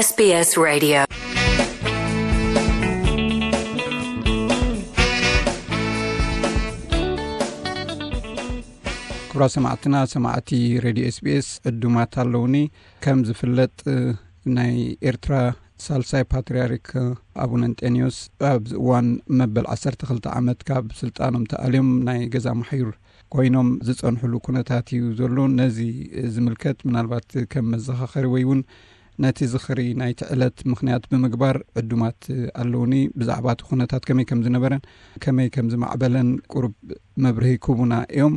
S B S Radio. ክቡራት ሰማዕትና፣ ሰማዕቲ ሬድዮ S B S ዕዱማት ኣለውኒ። ከም ዝፍለጥ፣ ናይ ኤርትራ ሳልሳይ ፓትርያርክ ኣቡነ እንጠንዮስ ኣብዚ እዋን መበል ዓሰርተ ክልተ ዓመት ካብ ስልጣኖም ተኣልዮም ናይ ገዛ ማሕዩር ኮይኖም ዝጸንሕሉ ኩነታት እዩ ዘሎ። ነዚ ዝምልከት ምናልባት ከም መዘኻኸሪ ወይ እውን ነቲ ዝኽሪ ናይቲ ዕለት ምኽንያት ብምግባር ዕዱማት ኣለውኒ። ብዛዕባ እቲ ኩነታት ከመይ ከም ዝነበረን ከመይ ከም ዝማዕበለን ቁሩብ መብርሂ ክህቡና እዮም።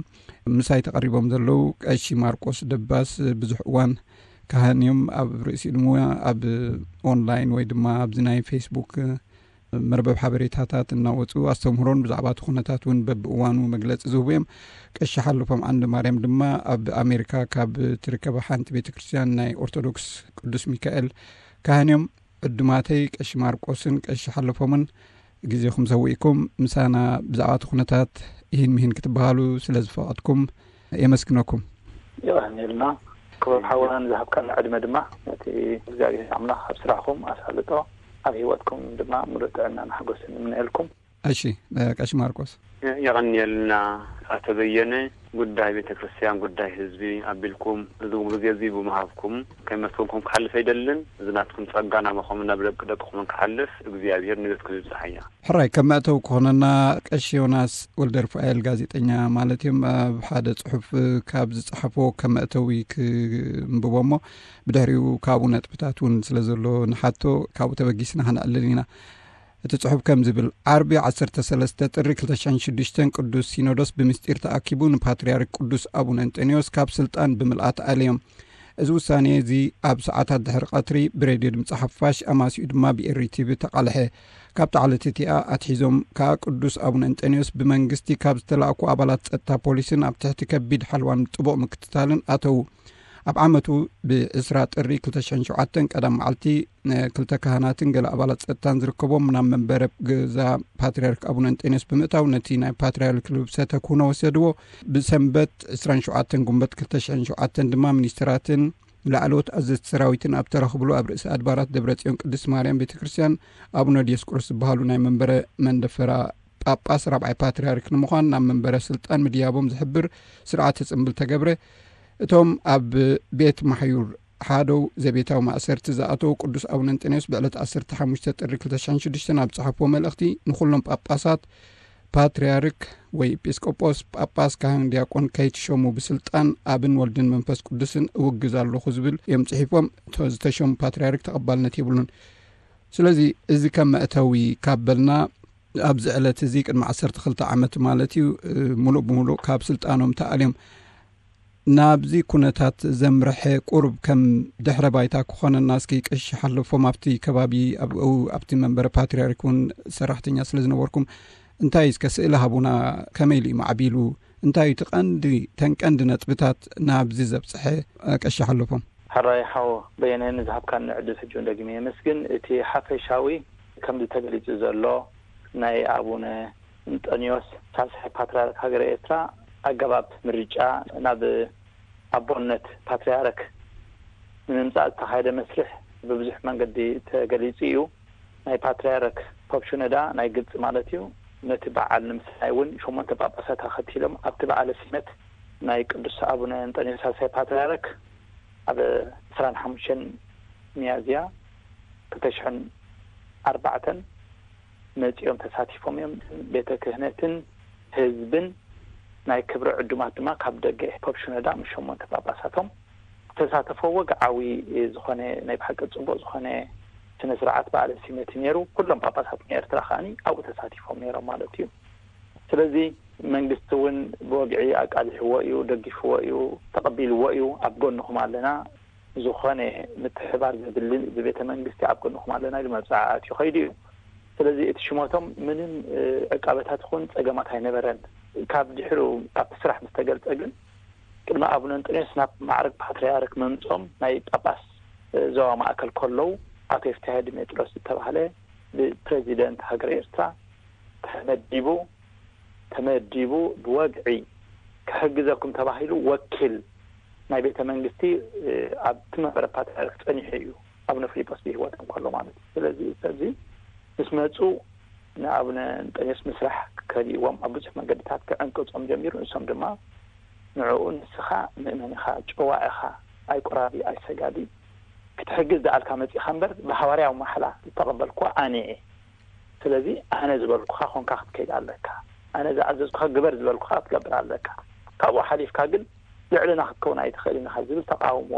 ምሳይ ተቐሪቦም ዘለዉ ቀሺ ማርቆስ ደባስ ብዙሕ እዋን ካህን እዮም። ኣብ ርእሲኡ ድማ ኣብ ኦንላይን ወይ ድማ ኣብዚ ናይ ፌስቡክ መርበብ ሓበሬታታት እናወፁ ኣስተምህሮን ብዛዕባ እቲ ኩነታት እውን በብእዋኑ መግለፂ ዝህቡ እዮም። ቀሺ ሓለፎም ዓንደ ማርያም ድማ ኣብ ኣሜሪካ ካብ ትርከበ ሓንቲ ቤተ ክርስቲያን ናይ ኦርቶዶክስ ቅዱስ ሚካኤል ካህን እዮም። ዕዱማተይ ቀሺ ማርቆስን ቀሺ ሓለፎምን ግዜኹም ሰዊእኩም ምሳና ብዛዕባ እቲ ኩነታት ይህን ምሂን ክትበሃሉ ስለ ዝፈቐድኩም የመስግነኩም። የቐንየልና። ክቡር ሓውናን ዝሃብካና ዕድመ ድማ ነቲ እግዚኣብሔር ኣምላኽ ኣብ ስራሕኩም ኣሳልጦ፣ ኣብ ህይወትኩም ድማ ሙሉእ ጥዕናን ሓጎስን ንምነየልኩም። እሺ፣ ቀሺ ማርቆስ። የቐንየልና ኣቶ በየነ። ጉዳይ ቤተ ክርስቲያን፣ ጉዳይ ህዝቢ ኣቢልኩም እዚ ግዜ እዚ ብምሃብኩም ከመስግንኩም ክሓልፍ ኣይደልን። እዚ ናትኩም ጸጋ ናባኹም ናብ ደቂ ደቅኹምን ክሓልፍ እግዚኣብሔር ንቤትኩም ይብጽሓያ። ሕራይ፣ ከም መእተዊ ክኾነና ቀሺ ዮናስ ወልደ ሩፋኤል ጋዜጠኛ ማለት እዮም። ኣብ ሓደ ጽሑፍ ካብ ዝጸሓፎ ከም መእተዊ ክንብቦ እሞ ብድሕሪኡ ካብኡ ነጥብታት እውን ስለ ዘሎ ንሓቶ ካብኡ ተበጊስና ከነዕልል ኢና። እቲ ጽሑፍ ከም ዝብል፣ ዓርቢ ዓሰርተ ሰለስተ ጥሪ ክልተ ሽሕን ሽዱሽተን ቅዱስ ሲኖዶስ ብምስጢር ተኣኪቡ ንፓትርያርክ ቅዱስ ኣቡነ እንጠንዮስ ካብ ስልጣን ብምልኣት ኣልዮም። እዚ ውሳኔ እዚ ኣብ ሰዓታት ድሕሪ ቀትሪ ብሬድዮ ድምፂ ሓፋሽ ኣማሲኡ ድማ ብኤሪ ቲቪ ተቓልሐ። ካብታ ዕለት እቲኣ ኣትሒዞም ከኣ ቅዱስ ኣቡነ እንጠንዮስ ብመንግስቲ ካብ ዝተላእኩ ኣባላት ጸጥታ ፖሊስን ኣብ ትሕቲ ከቢድ ሓልዋን ጥቡቕ ምክትታልን ኣተዉ። ኣብ ዓመቱ ብዕስራ ጥሪ ክልተ ሽሕን ሸውዓተን ቀዳም መዓልቲ ክልተ ካህናትን ገለ ኣባላት ጸጥታን ዝርከቦም ናብ መንበረ ገዛ ፓትርያርክ ኣቡነ እንጠንዮስ ብምእታው ነቲ ናይ ፓትርያርክ ልብሰ ተክህኖ ወሰድዎ። ብሰንበት ዕስራን ሸውዓተን ጉንበት ክልተ ሽሕን ሸውዓተን ድማ ሚኒስትራትን ላዕለዎት ኣዘዝቲ ሰራዊትን ኣብ ተረኽብሉ ኣብ ርእሲ ኣድባራት ደብረ ጽዮን ቅድስት ማርያም ቤተ ክርስቲያን ኣቡነ ዲዮስቆሮስ ዝበሃሉ ናይ መንበረ መንደፈራ ጳጳስ ራብዓይ ፓትርያርክ ንምዃን ናብ መንበረ ስልጣን ምድያቦም ዝሕብር ስርዓተ ጽምብል ተገብረ። እቶም ኣብ ቤት ማሕዩር ሓደው ዘቤታዊ ማእሰርቲ ዝኣተው ቅዱስ ኣቡነ እንጠንዮስ ብዕለት ዓሰርተ ሓሙሽተ ጥሪ ክልተ ሽሕን ሽዱሽተን ኣብ ዝጸሓፍዎ መልእኽቲ ንኹሎም ጳጳሳት ፓትርያርክ ወይ ኤጲስቆጶስ፣ ጳጳስ፣ ካህን፣ ዲያቆን ከይትሸሙ ብስልጣን ኣብን ወልድን መንፈስ ቅዱስን እውግዝ ኣለኹ ዝብል እዮም ጽሒፎም። እቶ ዝተሸሙ ፓትርያርክ ተቐባልነት የብሉን። ስለዚ እዚ ከም መእተዊ ካብ በልና ኣብዚ ዕለት እዚ ቅድሚ ዓሰርተ ክልተ ዓመት ማለት እዩ፣ እ፣ ሙሉእ ብሙሉእ ካብ ስልጣኖም ተኣልዮም። ናብዚ ኩነታት ዘምርሐ ቁሩብ ከም ድሕረ ባይታ ክኾነና እስኪ ቀሺ ሓለፎም ኣብቲ ከባቢ ኣብ-፣ ኣብቲ መንበረ ፓትርያርክ እውን ሰራሕተኛ ስለ ዝነበርኩም እንታይ እስከ ስእሊ ሃቡና፣ ከመይ ኢሉ እዩ ማዕቢሉ? እንታይ እዩ እቲ ቀንዲ፣ ተን ቀንዲ ነጥብታት ናብዚ ዘብጽሐ፣ እ፣ ቀሺ ሓለፎም? ሕራይ ሓው በየነ ንዝሃብካኒ ዕድል ሕጂ እውን ደጊመ የመስግን። እቲ ሓፈሻዊ ከምዚ ተገሊጹ ዘሎ ናይ ኣቡነ እንጠንዮስ ሳልሳይ ፓትርያርክ ሃገረ ኤርትራ ኣገባብ ምርጫ ናብ ኣቦነት ፓትርያርክ ንምምጻእ ዝተኻየደ መስርሕ ብብዙሕ መንገዲ ተገሊጹ እዩ። ናይ ፓትርያርክ ፖፕ ሽኖዳ ናይ ግብጺ ማለት እዩ፣ ነቲ በዓል ንምስናይ እውን ሸሞንተ ጳጳሳት ኣኸቲሎም ኣብቲ በዓለ ሲመት ናይ ቅዱስ ኣቡነ እንጠንዮስ ሳልሳይ ፓትርያርክ ኣብ ዕስራን ሓሙሽተን ሚያዝያ ክልተ ሽሕን ኣርባዕተን መጺኦም ተሳቲፎም እዮም። ቤተ ክህነትን ህዝብን ናይ ክብሪ ዕዱማት ድማ ካብ ደገ ፖፕ ሽኖዳ ምስ ሸሞንተ ጳጳሳቶም ዝተሳተፈ ወግዓዊ ዝኾነ ናይ ብሓቂ ጽቡቕ ዝኾነ ስነ ስርዓት በዓለ ሲመት እዩ ነይሩ። ኩሎም ጳጳሳት ናይ ኤርትራ ከኣኒ ኣብኡ ተሳቲፎም ነይሮም ማለት እዩ። ስለዚ መንግስቲ እውን ብወግዒ ኣቃሊሕዎ እዩ፣ ደጊፍዎ እዩ፣ ተቐቢልዎ እዩ። ኣብ ጎንኹም ኣለና፣ ዝኾነ ምትሕባር ዘድልን ብቤተ መንግስቲ ኣብ ጎንኹም ኣለና ኢሉ መብጽዓ ኣትዩ ከይዱ እዩ። ስለዚ እቲ ሽሞቶም ምንም፣ እ፣ ዕቃበታት ይኹን ጸገማት ኣይነበረን። ካብ ድሕሩ ኣብቲ ስራሕ ምስ ተገልጸ ግን ቅድሚ ኣቡነ እንጠንዮስ ናብ ማዕረግ ፓትርያርክ መምጾም ናይ ጳጳስ፣ እ፣ ዞባ ማእከል ከለዉ ኣቶ የፍትሐ ዲሜጥሮስ ዝተባህለ ብፕሬዚደንት ሃገረ ኤርትራ ተመዲቡ፣ ተመዲቡ ብወግዒ ክሕግዘኩም ተባሂሉ ወኪል ናይ ቤተ መንግስቲ፣ እ፣ ኣብቲ መንበረ ፓትርያርክ ጸኒሑ እዩ። ኣቡነ ፊሊጶስ ብህይወት እንከሎ ማለት እዩ። ስለዚ እዚ ሰብዚ ምስ መፁ ንኣቡነ እንጠንዮስ ምስራሕ ከሊእዎም ኣብ ብዙሕ መንገድታት ክዕንቅፆም ጀሚሩ። ንሶም ድማ ንዕኡ ንስኻ ምእመን ኢኻ፣ ጨዋ ኢኻ፣ ኣይቁራቢ ኣይሰጋዲ፣ ክትሕግዝ ደኣልካ መፂኻ እምበር ብሃዋርያዊ ማሕላ ዝተቐበልኩ ኣነ እየ። ስለዚ ኣነ ዝበልኩኻ ኮንካ ክትከይድ ኣለካ፣ ኣነ ዝኣዘዝኩኻ ግበር ዝበልኩኻ ክትገብር ኣለካ፣ ካብኡ ሓሊፍካ ግን ልዕልና ክትከውን ኣይትኽእልን ኢኻ ዝብል ተቃውሞ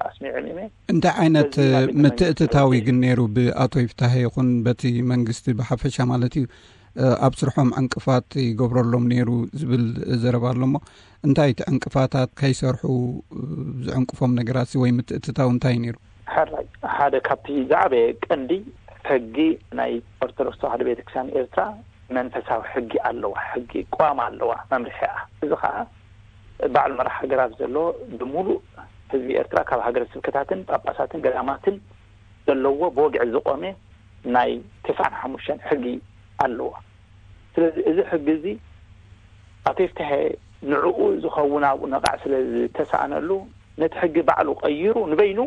ኣስሚዖም እዮም። እንታይ ዓይነት ምትእትታዊ ግን ነይሩ ብኣቶ ይፍታሄ ይኹን በቲ መንግስቲ ብሓፈሻ ማለት እዩ? ኣብ ስርሖም ዕንቅፋት ይገብረሎም ነይሩ ዝብል ዘረባ ኣሎ እሞ እንታይ እቲ ዕንቅፋታት ከይሰርሑ ዝዕንቅፎም ነገራት ወይ ምትእትታዊ እንታይ ነይሩ? ሕራይ ሓደ ካብቲ ዝዓበየ ቀንዲ ሕጊ ናይ ኦርቶዶክስ ተዋህዶ ቤተክርስትያን ኤርትራ መንፈሳዊ ሕጊ ኣለዋ፣ ሕጊ ቅዋም ኣለዋ፣ መምርሒኣ። እዚ ከዓ ባዕሉ መራሕ ሃገር ኣብ ዘሎ ብምሉእ ህዝቢ ኤርትራ ካብ ሃገረ ስብከታትን ጳጳሳትን ገዳማትን ዘለዎ ብወግዒ ዝቆመ ናይ ተስዓን ሓሙሽተን ሕጊ ኣለዎ። ስለዚ እዚ ሕጊ እዚ ኣቶ ይፍትሐ ንዕኡ ዝኸውን ኣብኡ ነቓዕ ስለ ዝተሰኣነሉ ነቲ ሕጊ ባዕሉ ቀይሩ ንበይኑ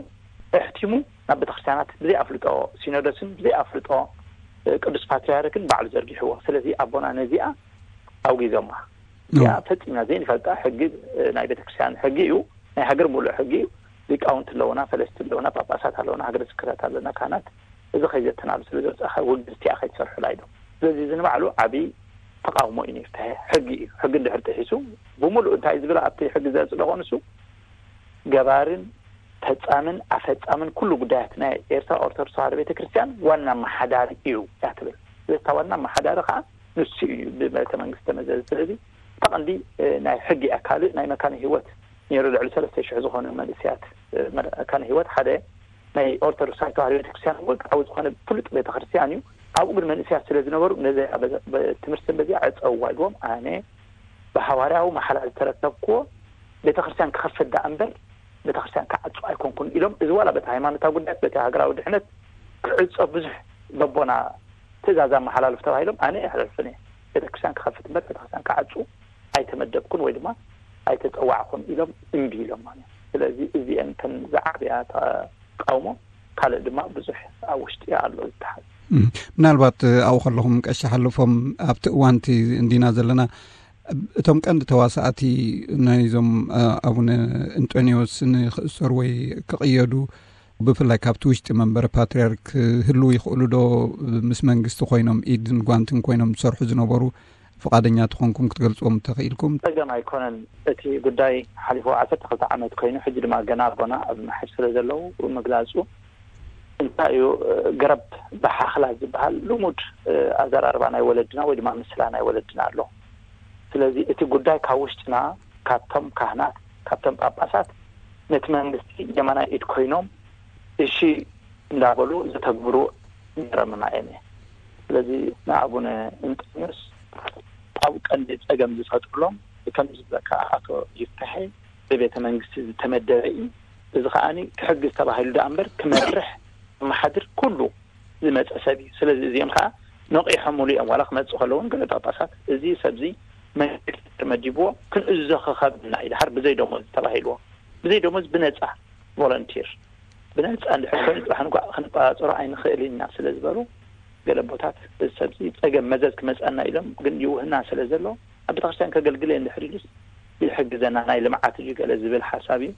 ኣሕቲሙ ናብ ቤተክርስትያናት ብዘይ ኣፍልጦ ሲኖዶስን ብዘይ ኣፍልጦ ቅዱስ ፓትርያርክን ባዕሉ ዘርጊሕዎ። ስለዚ ኣቦና ነዚኣ ኣውጊዞማ። እዚኣ ፈጺምና ዘይንፈልጣ ሕጊ ናይ ቤተክርስትያን ሕጊ እዩ። ናይ ሃገር ሙሉእ ሕጊ እዩ። ሊቃውንቲ ኣለውና፣ ፈለስቲ ኣለውና፣ ጳጳሳት ኣለውና፣ ሃገረ ስብከታት ኣለና፣ ካህናት። እዚ ከይዘተናሉ ስለ ዝወፃእካ ውግዝቲኣ ከይትሰርሑላ ኢሎም። ስለዚ እዚ ንባዕሉ ዓብዪ ተቃውሞ እዩ ነይሩ። ሕጊ እዩ። ሕጊ እንድሕር ጥሒሱ ብምሉእ እንታይ ዝብል ኣብቲ ሕጊ ዘፅደቆ ንሱ ገባርን ፈጻምን ኣፈጻምን ኩሉ ጉዳያት ናይ ኤርትራ ኦርቶዶክስ ተዋህዶ ቤተክርስትያን ዋና ኣመሓዳሪ እዩ እያ ትብል። ስለዚ እታ ዋና ኣመሓዳሪ ከዓ ንሱ እዩ ብመልከ መንግስቲ ተመዘዘ። ስለዚ እታ ቀንዲ ናይ ሕጊ እያ። ካልእ ናይ መካነ ህይወት ነይሩ። ልዕሊ ሰለስተ ሽሕ ዝኾኑ መንእሰያት መካነ ህይወት ሓደ ናይ ኦርቶዶክሳዊ ተዋህዶ ቤተክርስትያን እውን ዓቢ ዝኾነ ፍሉጥ ቤተክርስትያን እዩ። ኣብኡ ግን መንእሰያት ስለ ዝነበሩ ነዚ ትምህርቲ በዚኣ ዕፀውዋ ኢልዎም ኣነ ብሃዋርያዊ መሓላ ዝተረከብክዎ ቤተክርስትያን ክኸፍት ደኣ እምበር ቤተክርስትያን ክዓፁ ኣይኮንኩን ኢሎም። እዚ ዋላ በቲ ሃይማኖታዊ ጉዳያት በቲ ሃገራዊ ድሕነት ክዕፆ ብዙሕ በቦና ትእዛዝ ኣመሓላልፍ ተባሂሎም ኣነ ኣይሕለልፍን እየ። ቤተክርስትያን ክኸፍት እምበር ቤተክርስትያን ክዓፁ ኣይተመደብኩን ወይ ድማ ኣይተፀዋዕኩን ኢሎም እምቢ ኢሎም ማለት እዩ። ስለዚ እዚአን ተን ዝዓበያ ተቃውሞ ካልእ ድማ ብዙሕ ኣብ ውሽጢ ኣሎ ዝተሓዝ። ምናልባት ኣብኡ ከለኹም ቀሺ ሓለፎም ኣብቲ እዋንቲ እንዲና ዘለና እቶም ቀንዲ ተዋሳእቲ ናይዞም ኣቡነ እንጦንዮስ ንክእሰሩ ወይ ክቕየዱ ብፍላይ ካብቲ ውሽጢ መንበረ ፓትርያርክ ህልው ይኽእሉ ዶ? ምስ መንግስቲ ኮይኖም ኢድን ጓንትን ኮይኖም ዝሰርሑ ዝነበሩ ፍቓደኛ ተኾንኩም ክትገልፅዎም ተኽኢልኩም? ፀገም ኣይኮነን። እቲ ጉዳይ ሓሊፉ ዓሰርተ ክልተ ዓመት ኮይኑ ሕጂ ድማ ገና ኣቦና ኣብ ምሕር ስለ ዘለዉ ምግላፁ እንታይ እዩ ገረብ ብሓኽላ ዝበሃል ልሙድ ኣዘራርባ ናይ ወለድና ወይ ድማ ምስላ ናይ ወለድና ኣሎ። ስለዚ እቲ ጉዳይ ካብ ውሽጥና ካብቶም ካህናት ካብቶም ጳጳሳት ነቲ መንግስቲ የማናይ ኢድ ኮይኖም እሺ እንዳበሉ ዝተግብሩ ገረምና እዮም። ስለዚ ንኣቡነ እንጠንዮስ ኣብ ቀንዲ ፀገም ዝፈጥሩሎም ከም ዝብለካ ኣቶ ይፍትሐ ብቤተ መንግስቲ ዝተመደበ እዩ። እዚ ከዓኒ ክሕግዝ ተባሂሉ ደኣ እምበር ክመርሕ ክመሓድር ኩሉ ዝመፀ ሰብ እዩ። ስለዚ እዚኦም ከዓ ነቂሖምሉ እዮም። ዋላ ክመፅእ ከለውን ገለ ጳጳሳት እዚ ሰብዚ መንግስቲ ተመዲብዎ ክንእዝዞ ክኸብና እዩ ድሓር ብዘይ ደሞዝ ተባሂልዎ ብዘይ ደሞዝ ብነፃ ቮለንቲር ብነፃ እንድሕር ኮይኑ ፅባሕ ንኳዕ ክንቆፃፀሮ ኣይንኽእል ኢና ስለ ዝበሉ ገለ ኣቦታት እዚ ሰብዚ ፀገም መዘዝ ክመፀና ኢሎም ግን ይውህና ስለ ዘሎ ኣብ ቤተክርስትያን ከገልግል እየ እንድሕር ኢሉስ ይሕግዘና ናይ ልምዓት እዩ ገለ ዝብል ሓሳብ እዩ።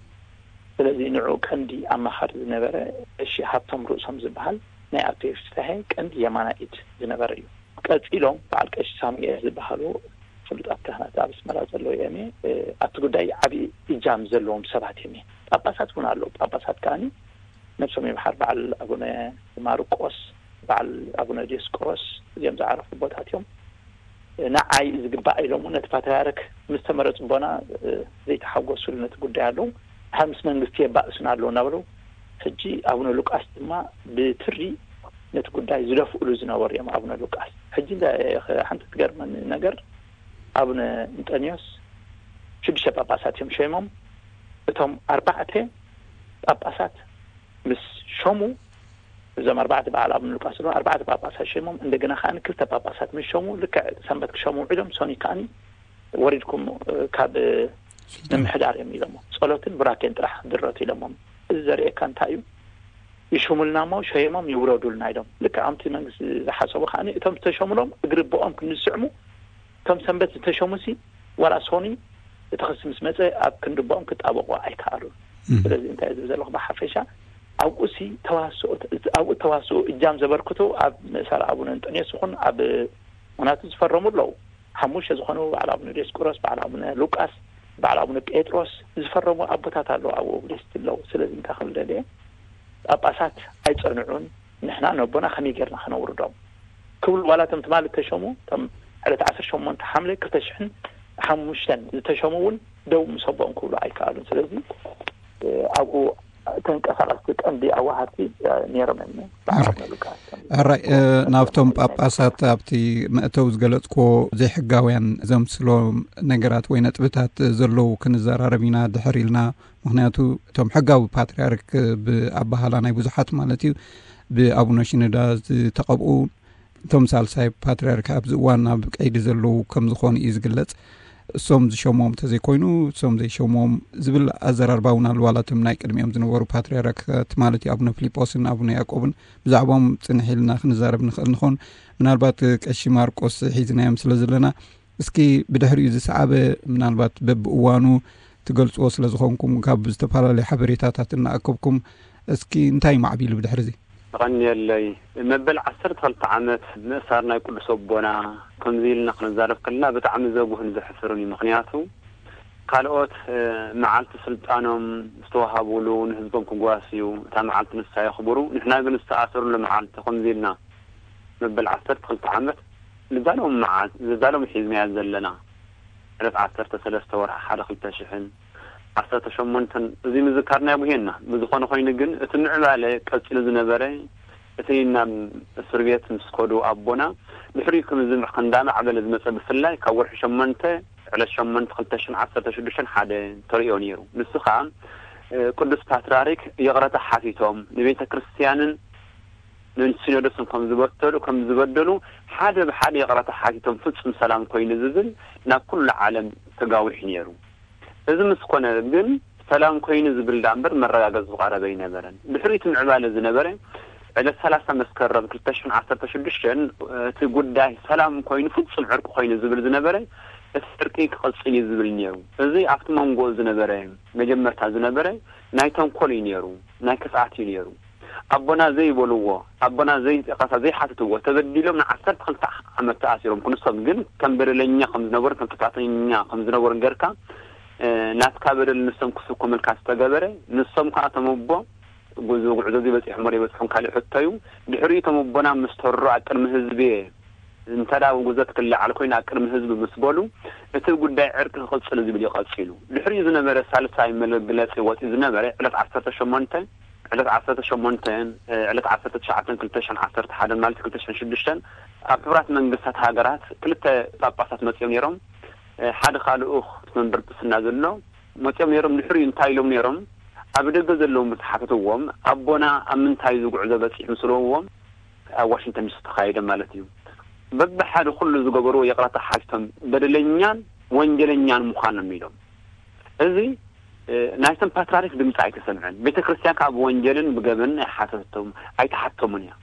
ስለዚ ንዑ ቀንዲ ኣማኻሪ ዝነበረ ቀሺ ሃብቶም ርእሶም ዝበሃል ናይ ኣቶ ይፍትሐ ቀንዲ የማናይ ኢድ ዝነበረ እዩ። ቀፂሎም በዓል ቀሺ ሳሙኤል ዝበሃሉ ፍሉጣት ካህናት ኣብ ኣስመራ ዘለዉ እዮም። ኣብቲ ጉዳይ ዓብዪ እጃም ዘለዎም ሰባት እዮም። ጳጳሳት እውን ኣለዉ። ጳጳሳት ከዓኒ ነብሶም ይምሓር በዓል ኣቡነ ማርቆስ በዓል ኣቡነ ዲዮስቆሮስ እዚኦም ዝዓረፉ ኣቦታት እዮም። ንዓይ ዝግባእ ኢሎም እውን ነቲ ፓትርያርክ ምስ ተመረፁ ኣቦና ዘይተሓጎስሉ ነቲ ጉዳይ ኣለዉ። ድሓር ምስ መንግስቲ የባእሱና ኣለዉ እናበሉ ሕጂ ኣቡነ ሉቃስ ድማ ብትሪ ነቲ ጉዳይ ዝደፍእሉ ዝነበሩ እዮም። ኣቡነ ሉቃስ ሕጂ ሓንቲ ትገርመኒ ነገር ኣቡነ እንጠንዮስ ሽዱሽተ ጳጳሳት እዮም ሸይሞም። እቶም ኣርባዕተ ጳጳሳት ምስ ሸሙ እዞም ኣርባዕተ በዓል ኣቡነ ሉቃስ ኣለዉ ኣርባዕተ ጳጳሳት ሸይሞም እንደገና ከዓ ክልተ ጳጳሳት ምስ ሸሙ ልክዕ ሰንበት ክሸሙ ውዒሎም ሶኒ ከዓኒ ወሪድኩም ካብ ምምሕዳር እዮም ኢሎሞ። ፀሎትን ቡራኬን ጥራሕ ድረቱ ኢሎሞም። እዚ ዘርእየካ እንታይ እዩ? ይሹሙልና እሞ ሸይሞም ይውረዱልና ኢሎም። ልክዕ ከምቲ መንግስቲ ዝሓሰቡ ከዓኒ እቶም ዝተሸሙሎም እግሪ ኣቦኦም ክንስዕሙ፣ እቶም ሰንበት ዝተሸሙሲ ዋላ ሶኒ እቲ ክሲ ምስ መጸ ኣብ ክንዲ ኣቦኦም ክጣበቑ ኣይከኣሉን። ስለዚ እንታይ ዝብል ዘለኹ ብሓፈሻ ኣብኡሲ ተዋስኦ፣ ኣብኡ ተዋስኦ እጃም ዘበርክቱ ኣብ ምእሳር ኣቡነ እንጠንዮስ ይኹን ኣብ ምኽንያቱ ዝፈረሙ ኣለዉ። ሓሙሽተ ዝኾኑ በዓል ኣቡነ ዲዮስቆሮስ፣ በዓል ኣቡነ ሉቃስ፣ በዓል ኣቡነ ጴጥሮስ ዝፈረሙ ኣቦታት ኣለዉ፣ ኣብኡ ሊስት ኣለዉ። ስለዚ እንታይ ክብል ደልየ ጳጳሳት ኣይጸንዑን፣ ንሕና ነቦና ከመይ ጌርና ከነውርዶም ክብሉ ዋላ እቶም ትማሊ ዝተሸሙ እቶም ዕለት ዓሰርተ ሸሞንተ ሓምለ ክልተ ሽሕን ሓሙሽተን ዝተሸሙ እውን ደው ምስ ኣቦኦም ክብሉ ኣይከኣሉን። ስለዚ ኣብኡ ተንቀሳቐስቲ ቀንዲ ኣዋሃድቲ ነይሮም እዮም። በዓል ኣቡነ ሉቃስ ከም ኣራይ ናብቶም ጳጳሳት ኣብቲ መእተው ዝገለጽክዎ ዘይሕጋውያን ዘምስሎ ነገራት ወይ ነጥብታት ዘለዉ ክንዘራረብ ኢና ድሕር ኢልና። ምክንያቱ እቶም ሕጋዊ ፓትርያርክ ብኣባህላ ናይ ብዙሓት ማለት እዩ ብኣቡነ ሽኖዳ ዝተቐብኡ እቶም ሳልሳይ ፓትርያርክ ኣብዚ እዋን ኣብ ቀይዲ ዘለዉ ከም ዝኾኑ እዩ ዝግለጽ። እሶም ዝሸምዎም እንተዘይኮይኑ እሶም ዘይሸምዎም ዝብል ኣዘራርባ እውን ኣሎ። ዋላ እቶም ናይ ቅድሚኦም ዝነበሩ ፓትርያርካት ማለት እዩ ኣቡነ ፊሊጶስን ኣቡነ ያዕቆብን ብዛዕባኦም ጽንሕ ኢልና ክንዛረብ ንኽእል ንኾን። ምናልባት ቀሺ ማርቆስ ሒዝናዮም ስለ ዘለና እስኪ ብድሕሪኡ ዝሰዓበ ምናልባት በብእዋኑ ትገልጽዎ ስለ ዝኾንኩም ካብ ዝተፈላለዩ ሓበሬታታት እናኣከብኩም እስኪ እንታይ ማዕቢሉ ብድሕሪ እዚ? ተቐንየለይ። መበል ዓሰርተ ክልተ ዓመት ምእሳር ናይ ቅዱስ ኣቦና ከምዚ ኢልና ክንዛረብ ከለና ብጣዕሚ ዘጉህን ዘሕፍርን እዩ። ምክንያቱ ካልኦት መዓልቲ ስልጣኖም ዝተዋሃብሉ ንህዝቦም ክጓስዩ እታ መዓልቲ ንሳ የኽብሩ፣ ንሕና ግን ዝተኣሰርሉ መዓልቲ ከምዚ ኢልና መበል ዓሰርተ ክልተ ዓመት ልዛሎም መዓልቲ ልዛሎም ሒዝናያ ዘለና ዕለት ዓሰርተ ሰለስተ ወርሒ ሓደ ክልተ ሽሕን ዓሰርተ ሸሞንተን እዚ ምዝካርና የጉህየና። ብዝኾነ ኮይኑ ግን እቲ ምዕባለ ቀጺሉ ዝነበረ እቲ ናብ እስር ቤት ምስ ከዱ ኣቦና ድሕሪኡ ከም ዝምዕ እንዳማዕበለ ዝመጸ ብፍላይ ካብ ወርሒ ሸሞንተ ዕለት ሸሞንተ ክልተ ሽሕን ዓሰርተ ሽዱሽተን ሓደ ተርእዮ ነይሩ። ንሱ ኸኣ ቅዱስ ፓትርያርክ ይቕረታ ሓቲቶም ንቤተ ክርስቲያንን ንሲኖዶስን ከም ዝበተሉ ከም ዝበደሉ ሓደ ብሓደ ይቕረታ ሓቲቶም ፍጹም ሰላም ኮይኑ ዝብል ናብ ኩሉ ዓለም ተጋዊሑ ነይሩ። እዚ ምስ ኮነ ግን ሰላም ኮይኑ ዝብል ዳኣ እምበር መረጋገጺ ዝቐረበ ኣይነበረን። ድሕሪኡ እቲ ምዕባለ ዝነበረ ዕለት ሰላሳ መስከረም ክልተ ሽሕን ዓሰርተ ሽዱሽተን እቲ ጉዳይ ሰላም ኮይኑ ፍጹም ዕርቂ ኮይኑ ዝብል ዝነበረ እቲ ዕርቂ ክቕጽል እዩ ዝብል ነይሩ። እዚ ኣብቲ መንጎ ዝነበረ መጀመርታ ዝነበረ ናይ ተንኮል እዩ ነይሩ፣ ናይ ክፍኣት እዩ ነይሩ። ኣቦና ዘይበልዎ ኣቦና ዘይጠቐሳ ዘይሓትትዎ ተበዲሎም ንዓሰርተ ክልተ ዓመት ተኣሲሮም ክንሶም ግን ከም በደለኛ ከም ዝነበሩ ከም ጥፋተኛ ከም ዝነበሩ ገርካ ናትካ በደል ንሶም ክስኮመልካ ዝተገበረ ንሶም ከዓ ተመቦ ጉዞ ጉዕዞ ዝበፂሑ እሞ ዘይበፅሑን ካሊእ ሕቶ እዩ። ድሕሪኡ ተመቦና ምስ ተሮ ኣብ ቅድሚ ህዝቢ እንተ ደኣ ጉዘት ክለዓል ኮይኑ ኣብ ቅድሚ ህዝቢ ምስ በሉ እቲ ጉዳይ ዕርቂ ክቕፅል ዝብል እዩ ቀፂሉ። ድሕሪኡ ዝነበረ ሳልሳይ መግለፂ ወፂኡ ዝነበረ ዕለት ዓሰርተ ሸሞንተ ዕለት ዓሰርተ ሸሞንተ ዕለት ዓሰርተ ትሽዓተ ክልተ ሽሕን ዓሰርተ ሓደ ማለት ክልተ ሽሕን ሽዱሽተን ኣብ ሕቡራት መንግስታት ሃገራት ክልተ ጳጳሳት መፂኦም ነይሮም። ሓደ ካልኡኽ መንበር ጵስና ዘሎ መፂኦም ነይሮም። ድሕሪኡ እንታይ ኢሎም ነይሮም? ኣብ ደገ ዘለዉ ምስ ሓተትዎም ኣቦና ኣብ ምንታይ ዝጉዕዞ በፂሑ ምስለዎም ኣብ ዋሽንግተን ዲሲ ተኻየደ ማለት እዩ። በብሓደ ኩሉ ዝገበርዎ ይቕረታ ሓቲቶም በደለኛን ወንጀለኛን ምዃኖም ኢሎም። እዚ ናይቶም ፓትርያርክ ድምፂ ኣይተሰምዐን። ቤተ ክርስቲያን ከዓ ብወንጀልን ብገበንን ኣይሓተቶም ኣይተሓተሙን እያ።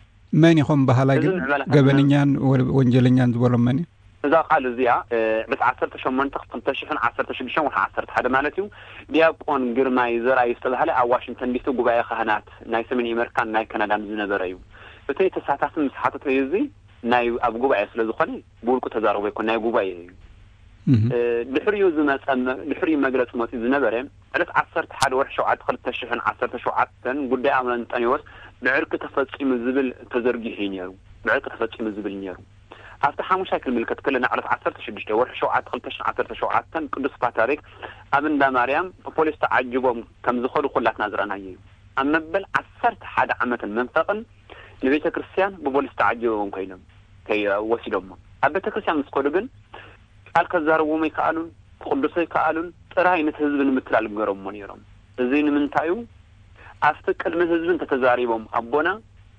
መን ኢኹም በሃላይ ግን ገበነኛን ወንጀለኛን ዝበሎም መን እዩ? እዛ ቃል እዚኣ ዕለት ዓሰርተ ሸሞንተ ክልተ ሽሕን ዓሰርተ ሽዱሽተን ወርሒ ዓሰርተ ሓደ ማለት እዩ። ዲያቆን ግርማይ ዘርኣይ ዝተባህለ ኣብ ዋሽንግተን ዲሲ ጉባኤ ካህናት ናይ ሰሜን ኣሜሪካን ናይ ካናዳን ዝነበረ እዩ። እቲ ተሳታፊ ምስ ሓተተዩ እዚ ናይ ኣብ ጉባኤ ስለ ዝኾነ ብውልቁ ተዛረቦ ይኮን ናይ ጉባኤ እዩ። ድሕሪኡ ዝመፀ ድሕሪኡ መግለፂ መፂኡ ዝነበረ ዕለት ዓሰርተ ሓደ ወርሒ ሸውዓተ ክልተ ሽሕን ዓሰርተ ሸውዓተን ጉዳይ ኣቡነ እንጠንዮስ ብዕርቂ ተፈፂሙ ዝብል ተዘርጊሑ እዩ ነይሩ። ብዕርቂ ተፈፂሙ ዝብል ነይሩ። ኣብቲ ሓሙሻይ ክንምልከት ከለና ዕለት ዓሰርተ ሽዱሽተ ወርሒ ሸውዓተ ክልተ ሽሕን ዓሰርተ ሸውዓተን ቅዱስ ፓትርያርክ ኣብ እንዳ ማርያም ብፖሊስ ተዓጅቦም ከም ዝኸዱ ኩላትና ዝረኣናዮ እዩ። ኣብ መበል ዓሰርተ ሓደ ዓመትን መንፈቕን ንቤተ ክርስቲያን ብፖሊስ ተዓጅቦም ኮይኖም ወሲዶሞ ኣብ ቤተ ክርስቲያን ምስ ከዱ ግን ቃል ከዛርቦም ኣይከኣሉን፣ ክቕድሶ ኣይከኣሉን። ጥራይ ነቲ ህዝቢ ንምትላል ገሮሞ ነይሮም። እዚ ንምንታይ እዩ? ኣብቲ ቅድሚ ህዝቢ እንተተዛሪቦም ኣቦና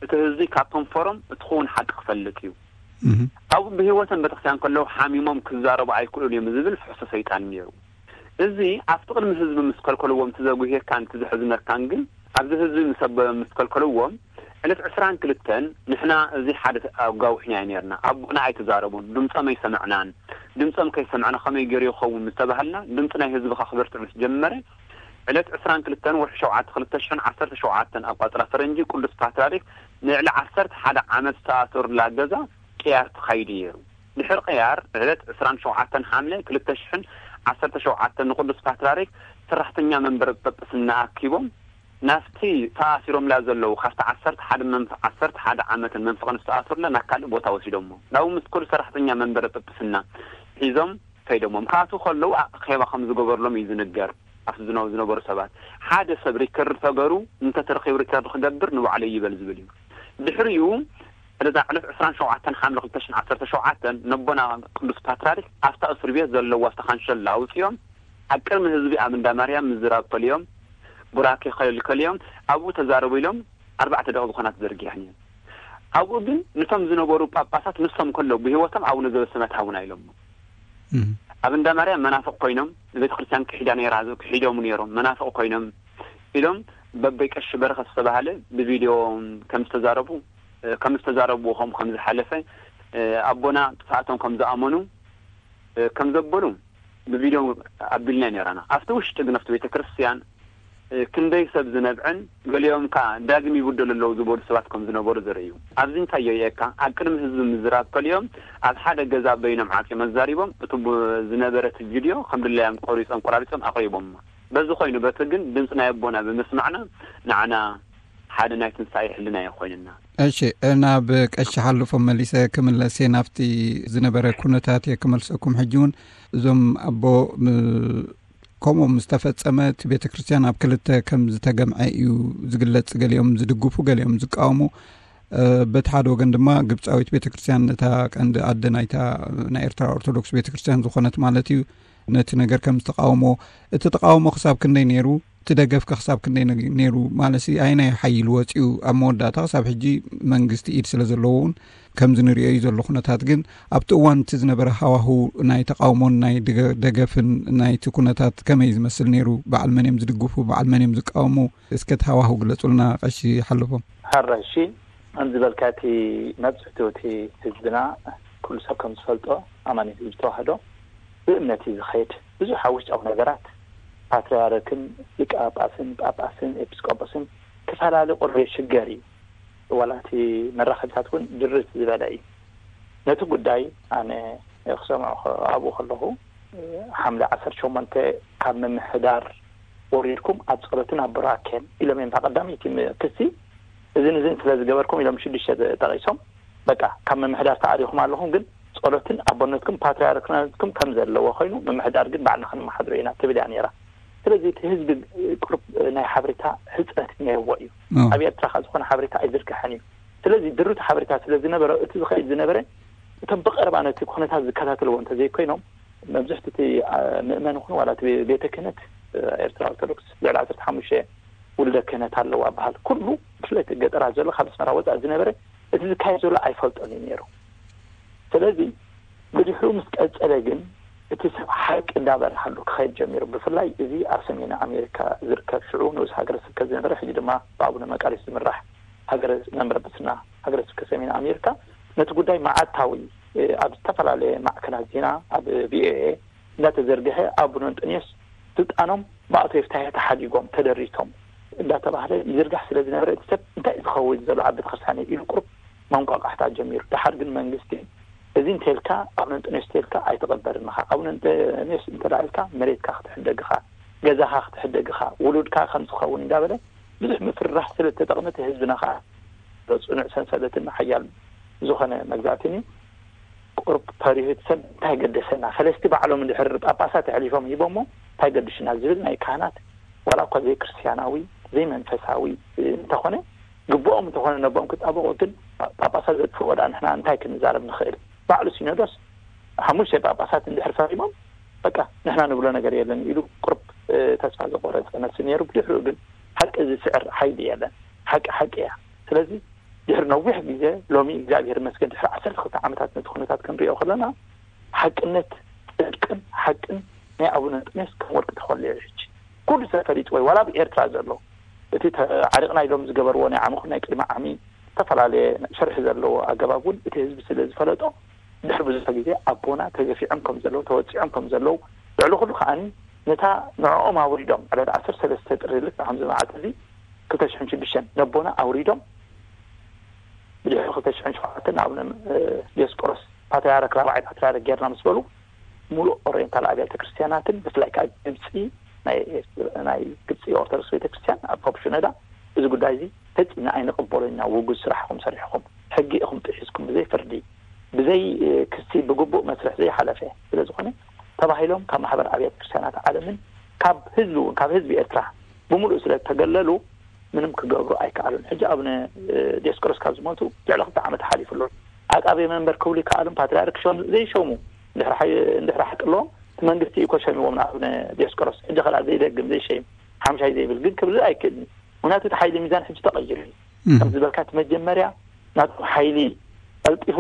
እቲ ህዝቢ ካብ ከንፈሮም እቲ ክውን ሓቂ ክፈልጥ እዩ። ኣብኡ ብህይወቶም ቤተክርስትያን ከለዉ ሓሚሞም ክዛረቡ ኣይክእሉን እዮም ዝብል ፍሕሶ ሰይጣን ነይሩ። እዚ ኣብቲ ቅድሚ ህዝቢ ምስ ከልከልዎም እቲ ዘጉህየካን እቲ ዘሕዝነካን ግን ኣብዚ ህዝቢ ምስ ኣበ-፣ ምስ ከልከልዎም፣ ዕለት ዕስራን ክልተን ንሕና እዚ ሓደ ኣጓዊሕና እዩ ነርና። ኣቦና ኣይተዛረቡን፣ ድምጾም ኣይሰምዕናን። ድምጾም ከይሰምዕና ከመይ ገይሩ ይኸውን ምስ ተባህልና፣ ድምጺ ናይ ህዝቢ ከኽብርትዕ ምስ ጀመረ፣ ዕለት ዕስራን ክልተን ወርሒ ሸውዓተ ክልተ ሽሕን ዓሰርተ ሸውዓተን ኣቋጽራ ፈረንጂ ቅዱስ ፓትርያርክ ንልዕሊ ዓሰርተ ሓደ ዓመት ዝተኣሰሩላ ገዛ ቅያር ተኻይዱ ነይሩ። ድሕሪ ቅያር ዕለት ዕስራን ሸውዓተን ሓምለ ክልተ ሽሕን ዓሰርተ ሸውዓተን ንቅዱስ ፓትርያርክ ሰራሕተኛ መንበረ ጳጳስና ኣኪቦም ናብቲ ተኣሲሮምላ ዘለዉ ካብቲ ዓሰርተ ሓደ መንፍ-፣ ዓሰርተ ሓደ ዓመትን መንፈቕን ዝተኣሰሩላ ናብ ካልእ ቦታ ወሲዶሞ። ናብኡ ምስ ከዱ ሰራሕተኛ መንበረ ጳጳስና ሒዞም ከይዶሞም። ክኣትዉ ከለዉ ኣኼባ ከም ዝገበርሎም እዩ ዝንገር። ኣብቲ ዝነ-፣ ዝነበሩ ሰባት ሓደ ሰብ ሪከርድ ተገሩ እንተተረኺቡ ሪከርድ ክገብር ንባዕሉ ይበል ዝብል እዩ። ድሕሪኡ ዕለት ዕለት ዕስራን ሸውዓተን ሓምለ ክልተ ሽሕን ዓሰርተ ሸውዓተን ነቦና ቅዱስ ፓትርያርክ ኣብታ እስር ቤት ዘለዋ ኣብታ ካንሸላ ኣውፅኦም ኣብ ቅድሚ ህዝቢ ኣብ እንዳ ማርያም ምዝራብ ከልዮም ቡራኬ ከልዮም ኣብኡ ተዛረቡ ኢሎም ኣርባዕተ ደቂ ዝኾና ተዘርጊሐን እየን። ኣብኡ ግን ንቶም ዝነበሩ ጳጳሳት ንሶም ከለዉ ብህይወቶም ኣቡነ ዘበሰማያት ሃቡና ኢሎም። ኣብ እንዳ ማርያም መናፍቕ ኮይኖም ንቤተ ክርስቲያን ክሒዳ ነይራ፣ ክሒዶም ነይሮም፣ መናፍቕ ኮይኖም ኢሎም በበይ ቀሺ በረኸት ዝተባህለ ብቪድዮ ከም ዝተዛረቡ፣ ከም ዝተዛረብዎ ከም ከም ዝሓለፈ፣ ኣቦና ጥፍኣቶም ከም ዝኣመኑ ከም ዘበሉ ብቪድዮ ኣቢልና ነይራና። ኣብቲ ውሽጢ ግን ኣብቲ ቤተ ክርስቲያን ክንደይ ሰብ ዝነብዕን ገሊኦም ከኣ ዳግም ይብደሉ ኣለዉ ዝበሉ ሰባት ከም ዝነበሩ ዘርኢ እዩ። ኣብዚ እንታይ የርእየካ? ኣብ ቅድሚ ህዝቢ ምዝራብ ከሊኦም ኣብ ሓደ ገዛ በይኖም ዓጽዮም ኣዛሪቦም እቲ ቡ-፣ ዝነበረ እቲ ቪድዮ ከም ድላዮም ቆሪጾም ቆራሪጾም ኣቕሪቦማ። በዚ ኮይኑ በቲ ግን ድምጺ ናይ ኣቦና ብምስማዕና ንዓና ሓደ ናይ ትንሳኤ ሕልና እዩ ኮይንና። እሺ፣ ናብ ቀሺ ሓልፎም መሊሰ ክምለስ እየ፣ ናብቲ ዝነበረ ኩነታት እየ ክመልሰኩም። ሕጂ እውን እዞም ኣቦ ም-፣ ከምኡ ምስ ተፈጸመ እቲ ቤተ ክርስቲያን ኣብ ክልተ ከም ዝተገምዐ እዩ ዝግለጽ። ገሊኦም ዝድግፉ፣ ገሊኦም ዝቃወሙ። እ፣ በቲ ሓደ ወገን ድማ ግብጻዊት ቤተ ክርስቲያን፣ ነታ ቀንዲ ኣደ ናይታ ናይ ኤርትራ ኦርቶዶክስ ቤተ ክርስቲያን ዝኾነት ማለት እዩ፣ ነቲ ነገር ከም ዝተቃወሞ፣ እቲ ተቃውሞ ክሳብ ክንደይ ነይሩ፣ እቲ ደገፍ ከ ክሳብ ክንደይ ነ-፣ ነይሩ ማለት ሲ፣ ኣየናይ ሓይሊ ወጺኡ ኣብ መወዳእታ ክሳብ ሕጂ መንግስቲ ኢድ ስለ ዘለዎ እውን ከምዚ ንሪኦ እዩ ዘሎ ኩነታት። ግን ኣብቲ እዋን እቲ ዝነበረ ሃዋሁ ናይ ተቃውሞን ናይ ደገ-፣ ደገፍን ናይቲ ኩነታት ከመይ ዝመስል ነይሩ? በዓል መን እዮም ዝድግፉ? በዓል መን እዮም ዝቃወሙ? እስከ እቲ ሃዋሁ ግለጹልና ቀሺ ሓለፎም። ሕራይ፣ እሺ፣ ከምዚ ዝበልካ እቲ መብጽሕቱ እቲ ህዝብና ኩሉ ሰብ ከም ዝፈልጦ ኣማኒ ህዝቢ ተዋህዶ ብእምነት እዩ ዝኸይድ። ብዙሕ ኣብ ውሽጣዊ ነገራት ፓትርያርክን ሊቀ ጳጳስን ጳጳስን ኤጲስቆጶስን ክፈላለ ቁሩብ የሽገር እዩ። ዋላ እቲ መራኸቢታት እውን ድርት ዝበለ እዩ። ነቲ ጉዳይ ኣነ ክሰምዖ ከ-፣ ኣብኡ ከለኹ ሓምለ ዓሰርተ ሸሞንተ ካብ ምምሕዳር ወሪድኩም ኣብ ጸሎትን ኣብ ቡራኬን ኢሎም እዮም። እታ ቀዳመይቲ ም-፣ ክሲ እዝን እዝን ስለ ዝገበርኩም ኢሎም ሽዱሽተ ጠቂሶም በቃ ካብ ምምሕዳር ተኣሪኹም ኣለኹም፣ ግን ጸሎትን ኣቦነትኩም ፓትርያርክነትኩም ከም ዘለዎ ኮይኑ ምምሕዳር ግን ባዕልና ክንመሓድሮ ኢና ትብል እያ ነይራ። ስለዚ እቲ ህዝቢ ቁሩብ ናይ ሓበሬታ ሕጽረት ነይርዎ እዩ። ኣብ ኤርትራ ካብ ዝኾነ ሓበሬታ ኣይዝርግሐን እዩ። ስለዚ ድሩት ሓበሬታ ስለ ዝነበረ እቲ ዝኸይድ ዝነበረ እቶም ብቐረባ ነቲ ኩነታት ዝከታተልዎ እንተዘይኮይኖም መብዝሕቲ እቲ፣ ኣ፣ ምእመን ይኹን ዋላ እቲ ቤ-፣ ቤተ ክህነት፣ እ፣ ኤርትራ ኦርቶዶክስ ልዕሊ ዓሰርተ ሓሙሽተ ውልደ ክህነት ኣለዋ በሃል። ኩሉ ብፍላይ እቲ ገጠራት ዘሎ ካብ ኣስመራ ወጻኢ ዝነበረ እቲ ዝካየድ ዘሎ ኣይፈልጦን እዩ ነይሩ። ስለዚ ብድሕሪኡ ምስ ቀጸለ ግን እቲ ሰብ ሓቂ እንዳበርሃሉ ክኸይድ ጀሚሩ። ብፍላይ እዚ ኣብ ሰሜን ኣሜሪካ ዝርከብ ሽዑ ንኡስ ሃገረ ስብከት ዝነበረ ሕጂ ድማ ብኣቡነ መቃርዮስ ዝምራሕ ሃገረ መንበረ ጵጵስና ሃገረ ስብከት ሰሜን ኣሜሪካ ነቲ ጉዳይ መዓልታዊ፣ እ፣ ኣብ ዝተፈላለየ ማዕከናት ዜና ኣብ ቪኦኤ እንዳተዘርግሐ ኣቡነ እንጦንዮስ ስልጣኖም ብኣቶ የፍታሄ ተሓዲጎም ተደሪቶም እንዳተባህለ ይዝርጋሕ ስለ ዝነበረ እቲ ሰብ እንታይ እዩ ዝኸውን ዘሎ ኣብ ቤተክርስትያን ኢሉ ቁሩብ መንቋቋሕታ ጀሚሩ። ደሓር ግን መንግስቲ እዚ እንተልካ ኣቡነ እንጦንዮስ እንተልካ ኣይተቐበልን ኢኻ። ኣቡነ እንጦንዮስ እንተ ደኣ ኢልካ መሬትካ ክትሕደግ ኢኻ፣ ገዛኻ ክትሕደግ ኢኻ፣ ውሉድካ ከም ዝኸውን እንዳበለ ብዙሕ ምፍርራሕ ስለ ዝተጠቕመ እቲ ህዝብና ኸዓ ጽኑዕ ሰንሰለትን ሓያል ዝኾነ መግዛእትን እዩ። ቁሩብ ፈሪሁ እቲ ሰብ እንታይ ገደሰና፣ ፈለስቲ ባዕሎም እንድሕር ጳጳሳት ኣሕሊፎም ሂቦሞ እንታይ ገድሽና ዝብል ናይ ካህናት ዋላ እኳ ዘይክርስቲያናዊ ዘይመንፈሳዊ እንተኾነ ግብኦም እንተኾነ ነቦም ክጣበቑ ግን ጳጳሳት ዘጥፍእዎ ደኣ ንሕና እንታይ ክንዛረብ ንኽእል? ባዕሉ ሲኖዶስ ሓሙሽተ ጳጳሳት እንድሕር ፈሪሞም በቃ ንሕና ንብሎ ነገር የለን ኢሉ ቁሩብ፣ እ፣ ተስፋ ዘቆረጸ መስል ነይሩ። ብድሕሪኡ ግን ሓቂ ዝስዕር ሓይሊ የለን። ሓቂ ሓቂ እያ። ስለዚ ድሕሪ ነዊሕ ግዜ ሎሚ እግዚኣብሔር ይመስገን ድሕሪ ዓሰርተ ክልተ ዓመታት ነቲ ኩነታት ክንሪኦ ከለና ሓቅነት ጽድቅን ሓቅን ናይ ኣቡነ እንጦንዮስ ከም ወርቂ ተኾሊዑ ሕጂ ኩሉ ሰብ ፈሊጥዎ እዩ። ዋላ ኣብ ኤርትራ ዘሎ እቲ ዓሪቕና ኢሎም ዝገበርዎ ናይ ዓመኹ ናይ ቅድሚ ዓሚ ዝተፈላለየ ሸርሒ ዘለዎ ኣገባብ እውን እቲ ህዝቢ ስለ ዝፈለጦ፣ ድሕሪ ብዙሕ ግዜ ኣቦና ተገፊዖም ከም ዘለዉ፣ ተወፂዖም ከም ዘለዉ፣ ልዕሊ ኩሉ ከዓኒ ነታ ንዕኦም ኣውሪዶም ዕለት ዓሰርተ ሰለስተ ጥሪ ልክዕ ከምዚ መዓልቲ እዚ ክልተ ሽሕን ሽዱሽተን ነቦና ኣውሪዶም፣ ብድሕሪ ክልተ ሽሕን ሸውዓተን ኣቡነ ዲዮስቆሮስ ፓትርያርክ ራብዓይ ፓትርያርክ ጌርና ምስ በሉ፣ ሙሉእ ኦሪየንታል ኣብያተ ክርስቲያናትን ብፍላይ ከዓ ግብፂ፣ ናይ ግብፂ ኦርቶዶክስ ቤተክርስትያን ኣብ ፖፕ ሽኖዳ፣ እዚ ጉዳይ እዚ ፈፂምና ኣይንቕበሎን ኢና። ውጉዝ ስራሕኹም ሰሪሕኹም፣ ሕጊ ኢኹም ጥሒስኩም፣ ብዘይ ፍርዲ፣ ብዘይ ክሲ፣ ብግቡእ መስርሕ ዘይሓለፈ ስለ ዝኾነ ተባሂሎም ካብ ማሕበር ኣብያተ ክርስቲያናት ዓለምን ካብ ህዝቢ እውን፣ ካብ ህዝቢ ኤርትራ ብምሉእ ስለ ዝተገለሉ፣ ምንም ክገብሩ ኣይከኣሉን። ሕጂ ኣቡነ ዲዮስቆሮስ ካብ ዝሞቱ ልዕሊ ክልተ ዓመት ሓሊፉ ኣሎ። ዓቃቤ መንበር ክብሉ ይከኣሉን ፓትርያርክ ሸም ዘይሸሙ እንድሕር ሓቂ ኣለዎም፣ እቲ መንግስቲ እዩ እኮ ሸሚዎም ንኣቡነ ዲዮስቆሮስ። ሕጂ ከላ ዘይደግም ዘይሸይም ሓምሻይ ዘይብል ግን ክብል ኣይክእልን እዩ። ምክንያቱ እቲ ሓይሊ ሚዛን ሕጂ ተቐይሩ እዩ። ከም ዝበልካ እቲ መጀመርያ ናቶም ሓይሊ ቀልጢፉ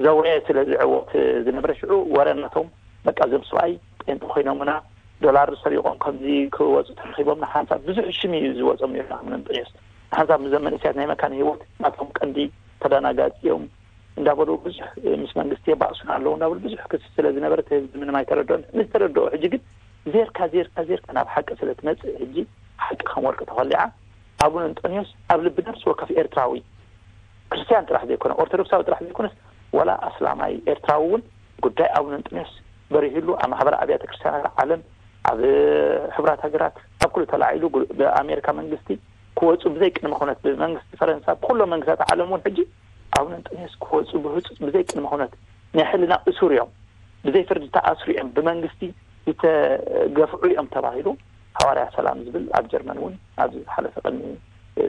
ዘውረየ ስለ ዝዕወት ዝነበረ ሽዑ ወረ ናቶም በቃ እዞም ሰብኣይ ጴንጠ ኮይኖምና ዶላር ሰሪቆም ከምዚ ክወፁ ተረኪቦም ንሓንሳብ ብዙሕ ሽም እዩ ዝወፆም ነይሩ። ኣቡነ እንጠንዮስ ንሓንሳብ ምዘም መንእስያት ናይ መካነ ህይወት ናቶም ቀንዲ ተዳናጋፂ እዮም እንዳበሉ ብዙሕ ምስ መንግስቲ የባእሱን ኣለዉ እንዳበሉ ብዙሕ ክስ ስለ ዝነበረ እቲ ህዝቢ ምንም ኣይተረድኦን። ምስ ተረድኦ ሕጂ ግን ዜርካ ዜርካ ዜርካ ናብ ሓቂ ስለ ትመፅእ ሕጂ ሓቂ ከም ወርቂ ተኸሊዓ ኣቡነ እንጠንዮስ ኣብ ልቢ ነፍሲ ወከፍ ኤርትራዊ ክርስቲያን ጥራሕ ዘይኮነ ኦርቶዶክሳዊ ጥራሕ ዘይኮነስ ዋላ ኣስላማይ ኤርትራዊ እውን ጉዳይ ኣቡነ እንጠንዮስ በሪህሉ ኣብ ማሕበር ኣብያተ ክርስቲያናት ዓለም ኣብ ሕቡራት ሃገራት ኣብ ኩሉ ተላዒሉ ብኣሜሪካ መንግስቲ ክወፁ ብዘይ ቅድመ ኩነት ብመንግስቲ ፈረንሳ ብኩሎም መንግስታት ዓለም እውን ሕጂ ኣቡነ እንጠንዮስ ክወፁ ብህፁፅ ብዘይ ቅድመ ኩነት ናይ ሕልና እሱር እዮም፣ ብዘይ ፍርዲ ተኣስሩ እዮም፣ ብመንግስቲ ዝተገፍዑ እዮም ተባሂሉ ሃዋርያ ሰላም ዝብል ኣብ ጀርመን እውን ኣብዚ ዝሓለፈ ቅድሚ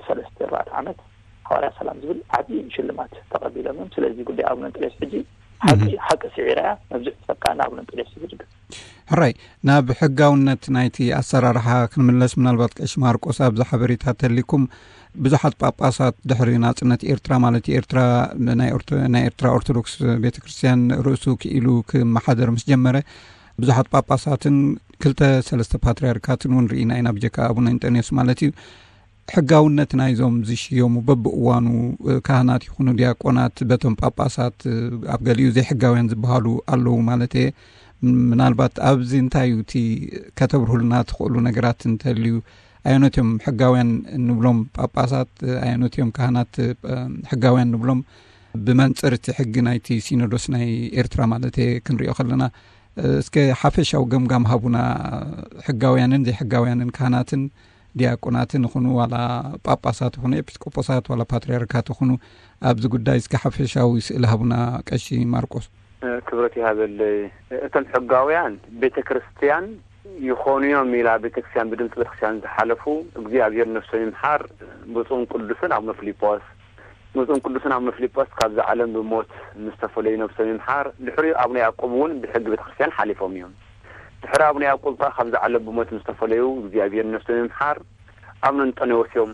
ሰለስተ ኣርባዕተ ዓመት ሃዋርያ ሰላም ዝብል ዓብዪ ሽልማት ተቐቢሎም እዮም። ስለዚ ጉዳይ ኣቡነ እንጠንዮስ ሕጂ ሓቂ ሓቂ ስዒራ እያ። መብዝሕ ተጠቃና ኣቡነ እንጠንዮስ ዝብል ግን ሕራይ ናብ ሕጋውነት ናይቲ ኣሰራርሓ ክንምለስ፣ ምናልባት ቀሺ ማርቆስ ኣብዚ ሓበሬታ ተሊኩም ብዙሓት ጳጳሳት ድሕሪ ናጽነት ኤርትራ ማለት ኤርትራ ናይ ኤርትራ ኦርቶዶክስ ቤተክርስትያን ርእሱ ክኢሉ ክመሓደር ምስ ጀመረ ብዙሓት ጳጳሳትን ክልተ ሰለስተ ፓትርያርካትን እውን ርኢና ኢና፣ ብጀካ ኣቡነ እንጠንዮስ ማለት እዩ። ሕጋውነት ናይዞም ዝሽየሙ በብእዋኑ ካህናት ይኹኑ ዲያቆናት በቶም ጳጳሳት ኣብ ገሊኡ ዘይሕጋውያን ዝበሃሉ ኣለዉ ማለት እየ። ምናልባት ኣብዚ እንታይ እዩ እቲ ከተብርሁልና ትኽእሉ ነገራት እንተልዩ? ኣየኖት እዮም ሕጋውያን እንብሎም ጳጳሳት፣ ኣየኖት እዮም ካህናት ሕጋውያን ንብሎም? ብመንፅር እቲ ሕጊ ናይቲ ሲኖዶስ ናይ ኤርትራ ማለት እየ ክንሪኦ ከለና እስከ ሓፈሻዊ ገምጋም ሃቡና። ሕጋውያንን ዘይሕጋውያንን ካህናትን ዲያቆናትን ይኹኑ ዋላ ጳጳሳት ይኹኑ ኤጲስቆጶሳት ዋላ ፓትርያርካት ይኹኑ ኣብዚ ጉዳይ እስከ ሓፈሻዊ ስእሊ ሃቡና ቀሺ ማርቆስ። ክብረት ይሃበለይ። እቶም ሕጋውያን ቤተ ክርስቲያን ይኾኑ እዮም ኢላ ቤተ ክርስቲያን ብድምፂ ቤተ ክርስቲያን ዝሓለፉ እግዚኣብሔር ነፍሶም ይምሓር ብፁዕን ቅዱስን ኣቡነ ፊሊጶስ። ብፁዕን ቅዱስን ኣቡነ ፊሊጶስ ካብዚ ዓለም ብሞት ምስ ተፈለዩ ነብሶም ይምሓር። ድሕሪኡ ኣቡነ ያዕቆብ እውን ብሕጊ ቤተክርስትያን ሓሊፎም እዮም። ድሕሪ ኣቡነ ያዕቆብ ከኣ ካብዚ ዓለም ብሞት ምስ ተፈለዩ እግዚኣብሔር ነብሶም ይምሓር። ኣቡነ እንጠንዮስ እዮም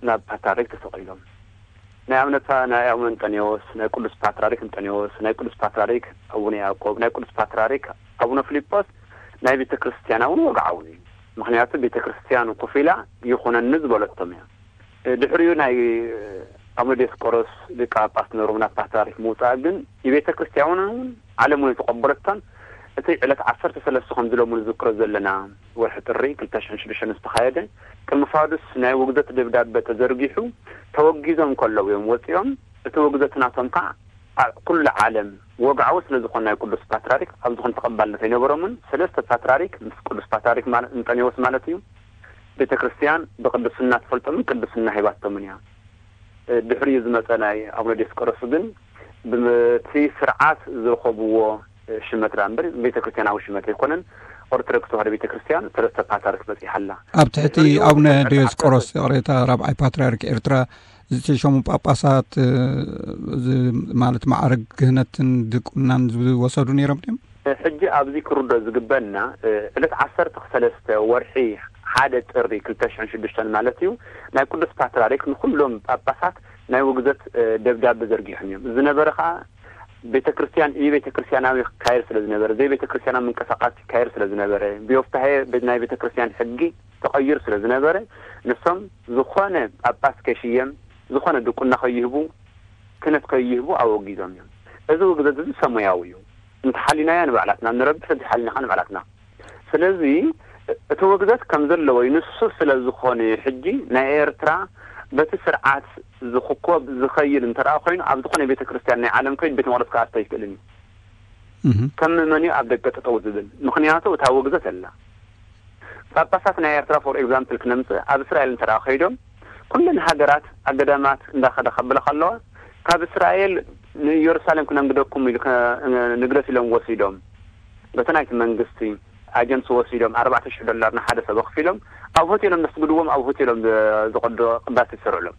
ናብ ፓትርያርክ ተሰቒሎም። ናይ ኣቡነ ፓ-፣ ናይ ኣቡነ እንጠንዮስ፣ ናይ ቅዱስ ፓትርያርክ እንጠንዮስ፣ ናይ ቅዱስ ፓትርያርክ ኣቡነ ያዕቆብ፣ ናይ ቅዱስ ፓትርያርክ ኣቡነ ፊሊጶስ ናይ ቤተክርስትያና እውን ወግዓዊ እዩ። ምኽንያቱ ቤተክርስትያን ኮፍ ኢላ ይኹነኒ ዝበለቶም እያ። ድሕሪኡ ናይ ኣቡነ ዲዮስቆሮስ ሊቀ ጳጳስ ነበሮም ናብ ፓትርያርክ ምውፃእ ግን ንቤተ ክርስቲያን እውን ዓለም እውን ዝተቐበለቶን እቲ ዕለት ዓሰርተ ሰለስተ ከም ዝለሙ ንዝክሮ ዘለና ወርሒ ጥሪ ክልተ ሽሕን ሽዱሽተን ዝተኻየደ ቅድሚ ፋዱስ ናይ ውግዘት ደብዳበ ተዘርጊሑ ተወጊዞም ከለዉ እዮም ወፂኦም። እቲ ውግዘት ናቶም ከዓ ኣብ ኩሉ ዓለም ወግዓዊ ስለ ዝኾነ ናይ ቅዱስ ፓትርያርክ ኣብ ዝኾነ ተቐባልነት ኣይነበሮምን። ሰለስተ ፓትርያርክ ምስ ቅዱስ ፓትርያርክ ማለት እንጠንዮስ ማለት እዩ ቤተ ክርስቲያን ብቅድስና ትፈልጦምን ቅድስና ሂባቶምን እያ። ድሕሪኡ ዝመፀ ናይ ኣቡነ ዲዮስቆሮስ ግን ብቲ ስርዓት ዝረኸብዎ ሽመት ደኣ እምበር ቤተ ክርስቲያናዊ ሽመት ኣይኮነን። ኦርቶዶክስ ተዋህዶ ቤተ ክርስቲያን ሰለስተ ፓትርያርክ በፂሓ ኣላ። ኣብ ትሕቲ ድሕሪኡ ኣቡነ ዕለት ዲዮስቆሮስ ዓሰርተ ይቕሬታ ራብዓይ ፓትርያርክ ኤርትራ ዝተሸሙ ጳጳሳት ማለት ማዕረግ ክህነትን ድቁናን ዝወሰዱ ነይሮም ድዮም? ሕጂ ኣብዚ ክርድኦ ዝግበና ዕለት ዓሰርተ ሰለስተ ወርሒ ሓደ ጥሪ ክልተ ሽሕን ሽዱሽተን ማለት እዩ ናይ ቅዱስ ፓትርያርክ ንኩሎም ጳጳሳት ናይ ውግዘት ደብዳበ ዘርጊሖም እዮም። ዝነበረ ከዓ ቤተ ክርስቲያን ኢ ቤተ ክርስቲያናዊ ክካየድ ስለ ዝነበረ፣ ዘይ ቤተ ክርስቲያናዊ ምንቅስቃስ ይካየድ ስለ ዝነበረ፣ ብዮፍታሄ ቤት ናይ ቤተ ክርስቲያን ሕጊ ተቐይሩ ስለ ዝነበረ፣ ንሶም ዝኾነ ጳጳስ ከይሽየም፣ ዝኾነ ድቁና ከይህቡ፣ ክህነት ከይህቡ ኣወጊዞም እዮም። እዚ ውግዘት እዚ ሰሙያዊ እዩ። እንተሓሊናዮ ንባዕላትና ንረብሕ፣ እንተሓሊናኻ ንባዕላትና። ስለዚ እቲ ውግዘት ከም ዘለዎ እዩ። ንሱ ስለ ዝኾነ እዩ። ሕጂ ናይ ኤርትራ በቲ ስርዓት ዝኽኮብ ዝኸይድ እንተ ደኣ ኮይኑ፣ ኣብ ዝኾነ ቤተ ክርስቲያን ናይ ዓለም ከይድ ቤተ መቕደስ ክኣቱ ኣይክእልን እዩ። ከም መን እዩ ኣብ ደገ ጠጠው ዝብል? ምኽንያቱ እታ ውግዘት ኣላ። ጳጳሳት ናይ ኤርትራ ፎር ኤግዛምፕል ክነምጽእ፣ ኣብ እስራኤል እንተ ደኣ ከይዶም፣ ኩለን ሃገራት ኣገዳማት እንዳኸዳ ከብላ ከለዋ፣ ካብ እስራኤል ንኢየሩሳሌም ክነንግደኩም ኢሉ ከ-፣ ንግደት ኢሎም ወሲዶም። በቲ ናይቲ መንግስቲ ኣጀንሲ ወሲዶም ኣርባዕተ ሽሕ ዶላር ንሓደ ሰብ ኣኽፊሎም፣ ኣብ ሆቴሎም ዘስግድዎም፣ ኣብ ሆቴሎም ዘ-፣ ዘቐዶ ቅዳሴ ዝሰርዕሎም።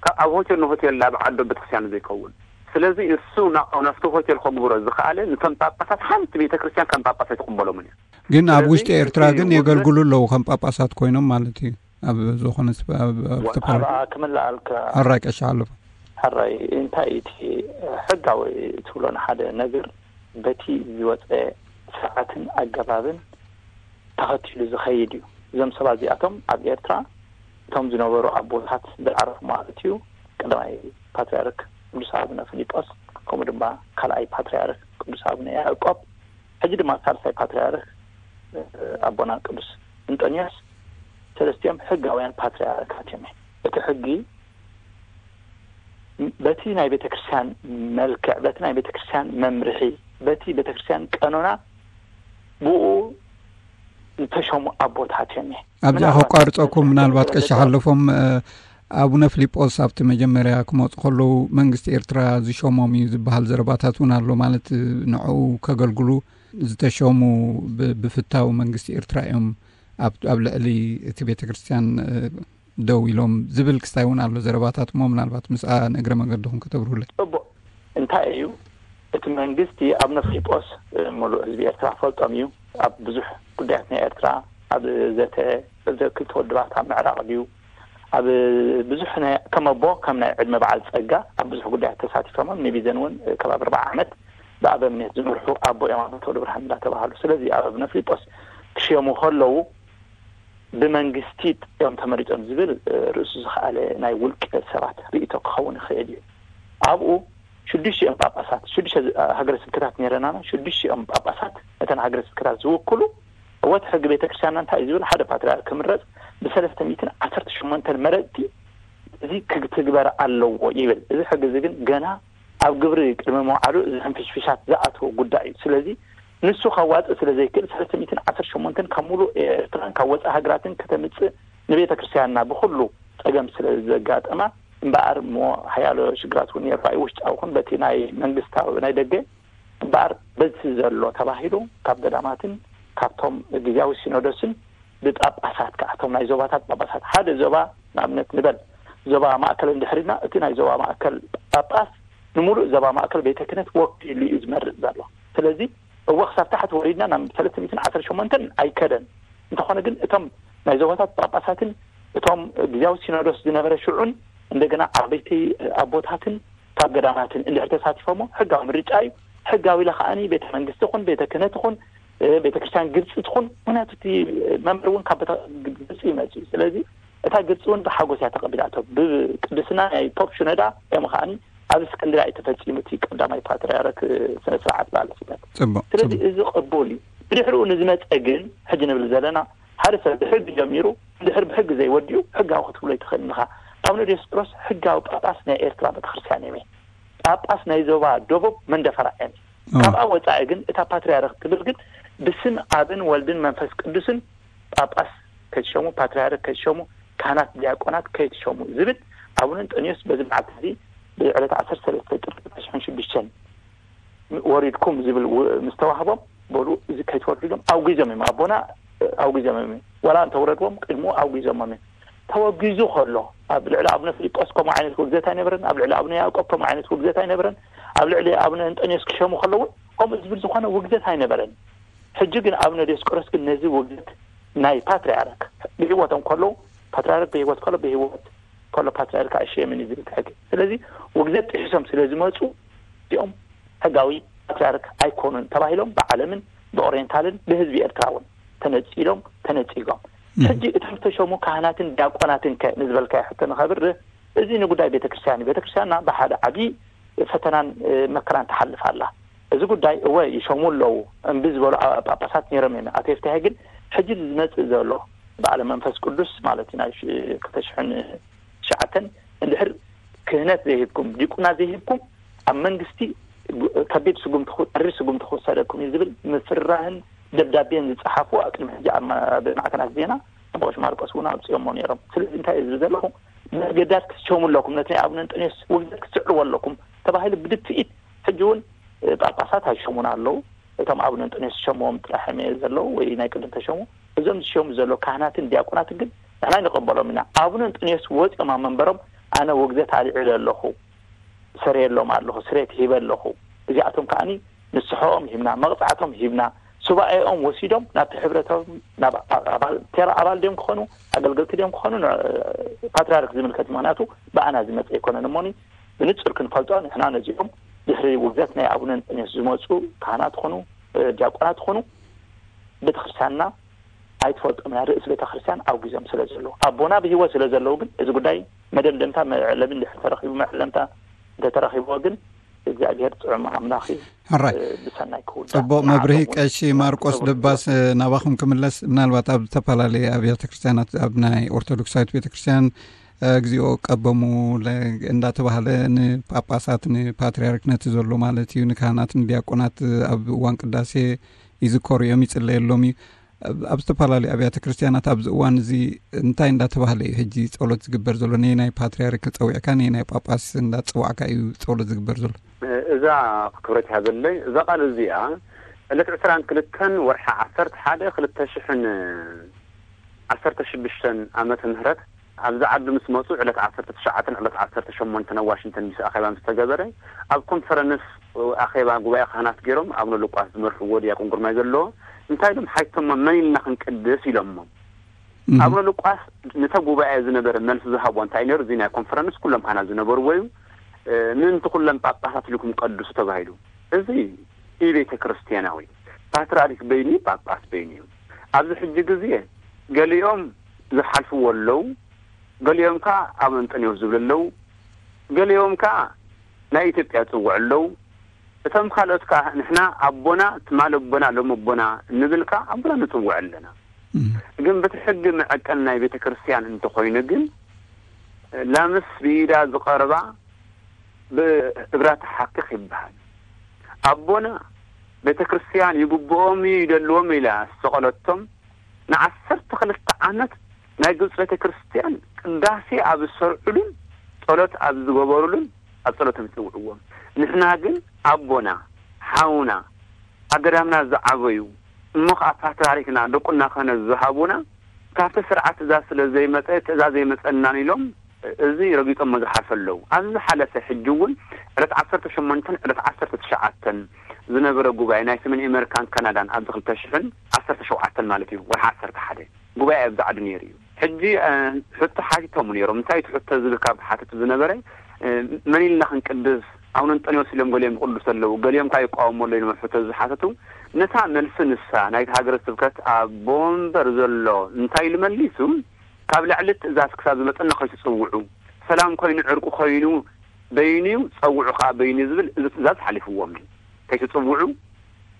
ካብ ኣብ ሆቴል ንሆቴል ኣብ ዓዶ ቤተክርስትያን ዘይከውን። ስለዚ እሱ ና-፣ ናብቲ ሆቴል ከግብሮ ዝኸኣለ፣ ንቶም ጳጳሳት ሓንቲ ቤተክርስትያን ከም ጳጳስ ኣይትቕበሎምን እያ። ግን ኣብ ስለዚ ውሽጢ ኤርትራ እቲ ግን ውግዘት የገልግሉ ኣለዉ ከም ጳጳሳት ኮይኖም ማለት እዩ። ኣብ ዝኾነ ስፈ-፣ ኣብ፣ ኣብ ወ-፣ ዝተፈላለዩ ኣብ ክምልኣልካ ኣራይ ቀሻ ኣለፉ። ሕራይ እንታይ እቲ ሕጋዊ ትብሎ ንሓደ ነገር በቲ ዝወፀ ስርዓትን ኣገባብን ተኸቲሉ ዝኸይድ እዩ። እዞም ሰባት እዚኣቶም ኣብ ኤርትራ እቶም ዝነበሩ ኣቦታት ዝዓረፉ ማለት እዩ። ቀዳማይ ፓትርያርክ ቅዱስ ኣቡነ ፊሊጶስ፣ ከምኡ ድማ ካልኣይ ፓትርያርክ ቅዱስ ኣቡነ ያዕቆብ፣ ሕጂ ድማ ሳልሳይ ፓትርያርክ፣ እ፣ ኣቦና ቅዱስ እንጦንዮስ፣ ሰለስቲኦም ሕጋውያን ፓትርያርካት እዮም። እቲ ሕጊ በቲ ናይ ቤተክርስትያን መልክዕ፣ በቲ ናይ ቤተክርስትያን መምርሒ፣ በቲ ቤተክርስትያን ቀኖና ብኡ ዝተሸሙ ኣቦታት እዮም። ኣብዚኣ ምናልባት ከቋርፀኩም፣ ምናልባት ቀሺ ሓለፎም፣ እ፣ ኣቡነ ፊሊጶስ ኣብቲ መጀመርያ ክመፁ ከለዉ መንግስቲ ኤርትራ ዝሸሞም እዩ ዝበሃል ዘረባታት እውን ኣሎ። ማለት ንዕኡ ከገልግሉ ዝተሸሙ ብ-፣ ብፍታው መንግስቲ ኤርትራ እዮም ኣብ፣ ኣብ ልዕሊ እቲ ቤተ ክርስቲያን፣ እ፣ ደው ኢሎም ዝብል ክስታይ እውን ኣሎ ዘረባታት እሞ ምናልባት ምስኣ ንእግረ መገድኹም ከተብርሁለይ። ጽቡቕ። እንታይ እዩ እቲ መንግስቲ ኣቡነ ፊሊጶስ፣ እ፣ ሙሉእ ህዝቢ ኤርትራ ፈልጦም እዩ። ኣብ ብዙሕ ጉዳያት ናይ ኤርትራ፣ ኣብ ዘተ፣ ዘተ ክልተ ውድባት ኣብ ምዕራቕ ድዩ፣ ኣብ ብዙሕ ናይ፣ ከም ኣቦ፣ ከም ናይ ዕድመ በዓል ጸጋ ኣብ ብዙሕ ጉዳያት ተሳቲፎም። ንቢዘን እውን፣ እ፣ ከባቢ ኣርባዓ ዓመት ብኣበምኔት ዝመርሑ ኣቦ እዮም፣ ኣባ ተወልደ ብርሃን እንዳተባሃሉ። ስለዚ ኣብ ኣቡነ ፊሊጶስ ክሽየሙ ከለዉ ብመንግስቲ እዮም ተመሪጾም ዝብል፣ እ፣ ርእሱ ዝኸኣለ ናይ ውልቀ ሰባት ርእይቶ ክኸውን ይኽእል እዩ። ኣብኡ ሽዱሽቲኦም ጳጳሳት፣ ሽዱሽተ ዝ-፣ ሃገረ ስብከታት ነይረናና፣ ሽዱሽቲኦም ጳጳሳት ነተን ሃገረ ስብከታት ዝውክሉ፣ እወ እቲ ሕጊ ቤተ ክርስቲያንና እንታይ እዩ ዝብል፣ ሓደ ፓትርያርክ ክምረጽ ብሰለስተ ሚእትን ዓሰርተ ሸሞንተን መረጽቲ እዚ ክትግበር ኣለዎ ይብል። እዚ ሕጊ እዚ ግን ገና ኣብ ግብሪ ቅድሚ ምውዓሉ እዚ ሕንፍሽፍሻት ዝኣትዎ ጉዳይ እዩ። ስለዚ ንሱ ከዋጽእ ስለ ዘይክእል፣ ሰለስተ ሚእትን ዓሰርተ ሸሞንተን ካብ ሙሉእ ኤርትራን ካብ ወጻኢ ሃገራትን ከተምጽእ ንቤተ ክርስቲያንና ብኹሉ ጸገም ስለ ዘጋጠማ እምበኣር እሞ ሓያሎ ሽግራት እውን ይረኣዩ፣ ውሽጣዊ ይኹን በቲ ናይ መንግስታዊ ናይ ደገ። እምበኣር በዚ ዘሎ ተባሂሉ ካብ ገዳማትን ካብቶም ግዝያዊ ሲኖዶስን ብጳጳሳት ከዓ እቶም ናይ ዞባታት ጳጳሳት ሓደ ዞባ ንኣብነት ንበል ዞባ ማእከል እንድሕሪና እቲ ናይ ዞባ ማእከል ጳጳስ ንምሉእ ዞባ ማእከል ቤተ ክህነት ወኪሉ እዩ ዝመርጽ ዘሎ። ስለዚ እወ ክሳብ ታሕቲ ወሪድና ናብ ሰለስተ ሚእትን ዓሰርተ ሸሞንተን ኣይከደን። እንተኾነ ግን እቶም ናይ ዞባታት ጳጳሳትን እቶም ግዝያዊ ሲኖዶስ ዝነበረ ሽዑን እንደገና ዓበይቲ ኣቦታትን ካብ ገዳማትን እንድሕር ተሳቲፎሞ ሕጋዊ ምርጫ እዩ። ሕጋዊ ኢለ ከዓኒ ቤተ መንግስቲ ይኹን ቤተ ክህነት ይኹን፣ እ፣ ቤተ ክርስቲያን ግብፂ ትኹን፣ ምክንያቱ እቲ መንበር እውን ካብ ቤተ ግብፂ ይመፅእ እዩ። ስለዚ እታ ግብፂ እውን ብሓጎስ እያ ተቐቢላቶ። ብቅድስና ናይ ፖፕ ሽኖዳ እዮም ከዓኒ ኣብ እስክንድርያ እዩ ተፈፂሙ እቲ ቀዳማይ ፓትርያርክ ስነ ስርዓት በዓለ ሲመት። ጽቡቕ፣ ስለዚ ጽቡቕ። እዚ ቅቡል እዩ። ብድሕሪኡ ንዝመፀ ግን ሕጂ ንብል ዘለና ሓደ ሰብ ብሕጊ ጀሚሩ እንድሕር ብሕጊ ዘይወዲኡ ሕጋዊ ክትብሎ ኣይትኽእልን ኢኻ። ኣቡነ ዲዮስቆሮስ ሕጋዊ ጳጳስ ናይ ኤርትራ ቤተክርስትያን እዮም። ጳጳስ ናይ ዞባ ደቡብ መንደፈራ እዮም። ኦ። ካብኣ ወፃኢ ግን እታ ፓትርያርክ ትብል ግን ብስም ኣብን ወልድን መንፈስ ቅዱስን ጳጳስ ከይትሸሙ፣ ፓትርያርክ ከይትሸሙ፣ ካህናት ዲያቆናት ከይትሸሙ ዝብል ኣቡነ እንጠንዮስ በዚ መዓልቲ እዚ ብዕለት ዓሰርተ ሰለስተ ጥሪ ክልተ ሽሕን ሽዱሽተን ወሪድኩም ዝብል ው-፣ ምስ ተዋህቦም በሉ እዚ ከይትወርዱ ኢሎም ኣውጊዞም እዮም። ኣቦና ኣውጊዞም እዮም። ዋላ እንተውረድዎም ቅድሙ ኣውጊዞሞም እዮም። ተወጊዙ ከሎ ኣብ ልዕሊ ኣቡነ ፊልጶስ ከምኡ ዓይነት ውግዘት ኣይነበረን። ኣብ ልዕሊ ኣቡነ ያዕቆብ ከምኡ ዓይነት ውግዘት ኣይነበረን። ኣብ ልዕሊ ኣቡነ እንጠንዮስ ክሸሙ ከለውን ከምኡ ዝብል ዝኾነ ውግዘት ኣይነበረን። ሕጂ ግን ኣቡነ ዲዮስቆሮስ ግን ነዚ ውግዘት ናይ ፓትርያርክ ብህይወቶም ከለዉ፣ ፓትርያርክ ብህይወት ከሎ፣ ብህይወት ከሎ ፓትርያርክ ኣይሸየምን እዩ ዝብል ሕጊ። ስለዚ ውግዘት ጥሒሶም ስለ ዝመፁ እዚኦም ሕጋዊ ፓትርያርክ ኣይኮኑን ተባሂሎም ብዓለምን ብኦሪየንታልን ብህዝቢ ኤርትራ እውን ተነጺሎም ተነጺጎም። ሕጂ እቶም ዝተሸሙ ካህናትን ዲያቆናትን ከ ንዝበልካዮ ሕቶ ንኸብርህ፣ እዚ ንጉዳይ ቤተክርስትያን እዩ። ቤተክርስትያንና ብሓደ ዓብዪ ፈተናን መከራን ትሓልፍ ኣላ። እዚ ጉዳይ እወ ይሸሙ ኣለዉ፣ እምቢ ዝበሉ ጳጳሳት ነይሮም እዮም። ኣቶ የፍትሐ ግን ሕጂ ዝመጽእ ዘሎ በዓለ መንፈስ ቅዱስ ማለት እዩ ናይ ክልተ ሽሕን ትሽዓተን እንድሕር ክህነት ዘይህብኩም፣ ዲቁና ዘይህብኩም፣ ኣብ መንግስቲ ከቢድ ስጉምቲ፣ ጠሪር ስጉምቲ ክወሰደኩም እዩ ዝብል ምፍርራህን ደብዳቤን ዝጸሓፉ ኣብ ቅድሚ ሕጂ ኣብ ማዕከናት ዜና ኣቦ ማርቆስ እውን ኣውጺኦሞ ነይሮም። ስለዚ እንታይ እዩ ዝብል ዘለኹ? መስገዳት ክትሸሙ ኣለኩም፣ ነቲ ናይ ኣቡነ እንጠንዮስ ውግዘት ክትስዕርዎ ኣለኩም ተባሂሉ ብድፍኢት። ሕጂ እውን ጳጳሳት ኣይሸሙን ኣለዉ። እቶም ኣቡነ እንጠንዮስ ዝሸምዎም ጥራሕ እዮም ዘለዉ ወይ ናይ ቅድም ተሸሙ። እዞም ዝሸሙ ዘለዉ ካህናትን ዲያቆናትን ግን ንሕና ንቕበሎም ኢና። ኣቡነ እንጠንዮስ ወፂኦም ኣብ መንበሮም ኣነ ውግዘት ኣልዒለ ኣለኹ፣ ሰረየሎም ኣለኹ፣ ስሬት ሂበ ኣለኹ፣ እዚኣቶም ከዓኒ ንስሐኦም ሂብና፣ መቕፃዕቶም ሂብና፣ ሱባኤኦም ወሲዶም ናብቲ ሕብረቶም ናብ ኣባል፣ ቴራ ኣባል ድዮም ክኾኑ፣ ኣገልገልቲ ድዮም ክኾኑ፣ ፓትርያርክ ዝምልከት። ምክንያቱ ብኣና ዝመፀ ኣይኮነን እሞኒ ብንፁር ክንፈልጦ ንሕና ነዚኦም ድሕሪ ውግዘት ናይ ኣቡነ እንጠንዮስ ዝመፁ ካህናት ኾኑ ዲያቆናት ኾኑ ቤተክርስትያንና ኣይትፈልጦም እያ። ርእሲ ቤተክርስትያን ኣውጊዞም ስለ ዘለዉ፣ ኣቦና ብህይወት ስለ ዘለዉ ግን እዚ ጉዳይ መደምደምታ መዕለቢ እንድሕር ተረኺቡ፣ መዕለምታ እንተተረኺብዎ ግን እግዚኣብሔር ጥዑም ኣምላኽ እዩ። ሕራይ። ብሰናይ ክውዳእ። ጽቡቕ መብርሂ። ቀሺ ማርቆስ ደባስ፣ ናባኹም ክምለስ። ምናልባት ኣብ ዝተፈላለየ ኣብያተ ክርስቲያናት፣ ኣብ ናይ ኦርቶዶክሳዊት ቤተክርስትያን እግዚኦ ቀበሙ እንዳተባህለ ንጳጳሳት፣ ንፓትርያርክ ነቲ ዘሎ ማለት እዩ፣ ንካህናት ንዲያቆናት ኣብ እዋን ቅዳሴ ይዝከሩ እዮም፣ ይጽለየሎም እዩ። ኣብ ዝተፈላለዩ ኣብያተ ክርስቲያናት ኣብዚ እዋን እዚ እንታይ እንዳተባህለ እዩ ሕጂ ጸሎት ዝግበር ዘሎ? ነየናይ ፓትርያርክ ጸዊዕካ፣ ነየናይ ጳጳስ እንዳጸዋዕካ እዩ ጸሎት ዝግበር ዘሎ? እዛ ክብረት ይሃበለይ፣ እዛ ቃል እዚኣ ዕለት ዕስራን ክልተን ወርሒ ዓሰርተ ሓደ ክልተ ሽሕን ዓሰርተ ሽዱሽተን ዓመተ ምህረት ኣብዚ ዓዲ ምስ መጹ ዕለት ዓሰርተ ትሽዓተን ዕለት ዓሰርተ ሸሞንተን ኣብ ዋሽንግተን ዲሲ ኣኼባ ምስ ተገበረ፣ ኣብ ኮንፈረንስ ኣኼባ ጉባኤ ካህናት ገይሮም ኣቡነ ሉቃስ ዝመርሕዎ ዲያቆን ግርማይ ዘለዎ እንታይ ኢሎም ሓይቶሞ፣ መን ኢልና ክንቅድስ ኢሎሞ። ኣቡነ ሉቃስ ነተ ጉባኤ ዝነበረ መልሲ ዝሃቦ እንታይ ነይሩ? እዚ ናይ ኮንፈረንስ ኩሎም ካህናት ዝነበርዎ እዩ። ምእንቲ ኩሎም ጳጳሳት ኢልኩም ቀድሱ ተባሂሉ። እዚ ኢ ቤተ ክርስቲያናዊ፣ ፓትርያርክ በይኑ ጳጳስ በይኑ እዩ። ኣብዚ ሕጂ ግዜ ገሊኦም ዝሓልፍዎ ኣለዉ፣ ገሊኦም ከዓ ኣብ እንጠንዮስ ዝብሉ ኣለዉ፣ ገሊኦም ከዓ ናይ ኢትዮጵያ ዝጽውዑ ኣለዉ። እቶም ካልኦት ከዓ ንሕና ኣቦና ትማል ኣቦና ሎም ኣቦና እንብል ከዓ ኣቦና ንጽውዕ ኣለና። ግን በቲ ሕጊ መዐቀን ናይ ቤተ ክርስቲያን እንተኾይኑ ግን ላምስ ብኢዳ ዝቐርባ ብእግራ ትሓክኽ ይበሃል። ኣቦና ቤተ ክርስቲያን ይግብኦም እዩ ይደልዎም ኢላ ዝተቐለቶም ንዓሰርተ ክልተ ዓመት ናይ ግብፂ ቤተ ክርስቲያን ቅዳሴ ኣብ ዝሰርዑሉን ጸሎት ኣብ ዝገበሩሉን ኣብ ጸሎቶም ይጽውዕዎም። ንሕና ግን ኣቦና ሓውና ኣገዳምና ዝዓበዩ እሞ ከዓ ፓትርያርክና ድቁና ክህነት ዝሃቡና ካብቲ ስርዓት ትእዛዝ ስለ ዘይመፀ ትእዛዝ ዘይመፀናን ኢሎም እዚ ረጊፆሞ ዝሓልፈ ኣለዉ። ኣብዚ ዝሓለፈ ሕጂ እውን ዕለት ዓሰርተ ሸሞንተን ዕለት ዓሰርተ ትሽዓተን ዝነበረ ጉባኤ ናይ ሰሜን ኣሜሪካን ካናዳን ኣብዚ ክልተ ሽሕን ዓሰርተ ሸውዓተን ማለት እዩ ወርሒ ዓሰርተ ሓደ ጉባኤ ኣብዚ ዓዲ ነይሩ እዩ። ሕጂ ሕቶ ሓቲቶም ነይሮም። እንታይ እቲ ሕቶ ዝብል ካብ ሓተቱ ዝነበረ መን ኢልና ክንቅድስ ኣቡነ እንጠንዮስ ኢሎም ገሊኦም ይቅድሱ ኣለዉ፣ ገሊኦም ከዓ ይቃወሙ ኣለዉ ኢሎም ሕቶ ዝሓተቱ ነታ መልሲ ንሳ ናይቲ ሃገረ ስብከት ኣቦ ወንበር ዘሎ እንታይ ኢሉ መሊሱ ካብ ላዕሊ ትእዛዝ ክሳብ ዝመፀና ከይትፅውዑ፣ ሰላም ኮይኑ ዕርቂ ኮይኑ በይኑ እዩ፣ ፀውዑ ከዓ በይኑ እዩ ዝብል እዚ ትእዛዝ ሓሊፍዎም እዩ። ከይትፅውዑ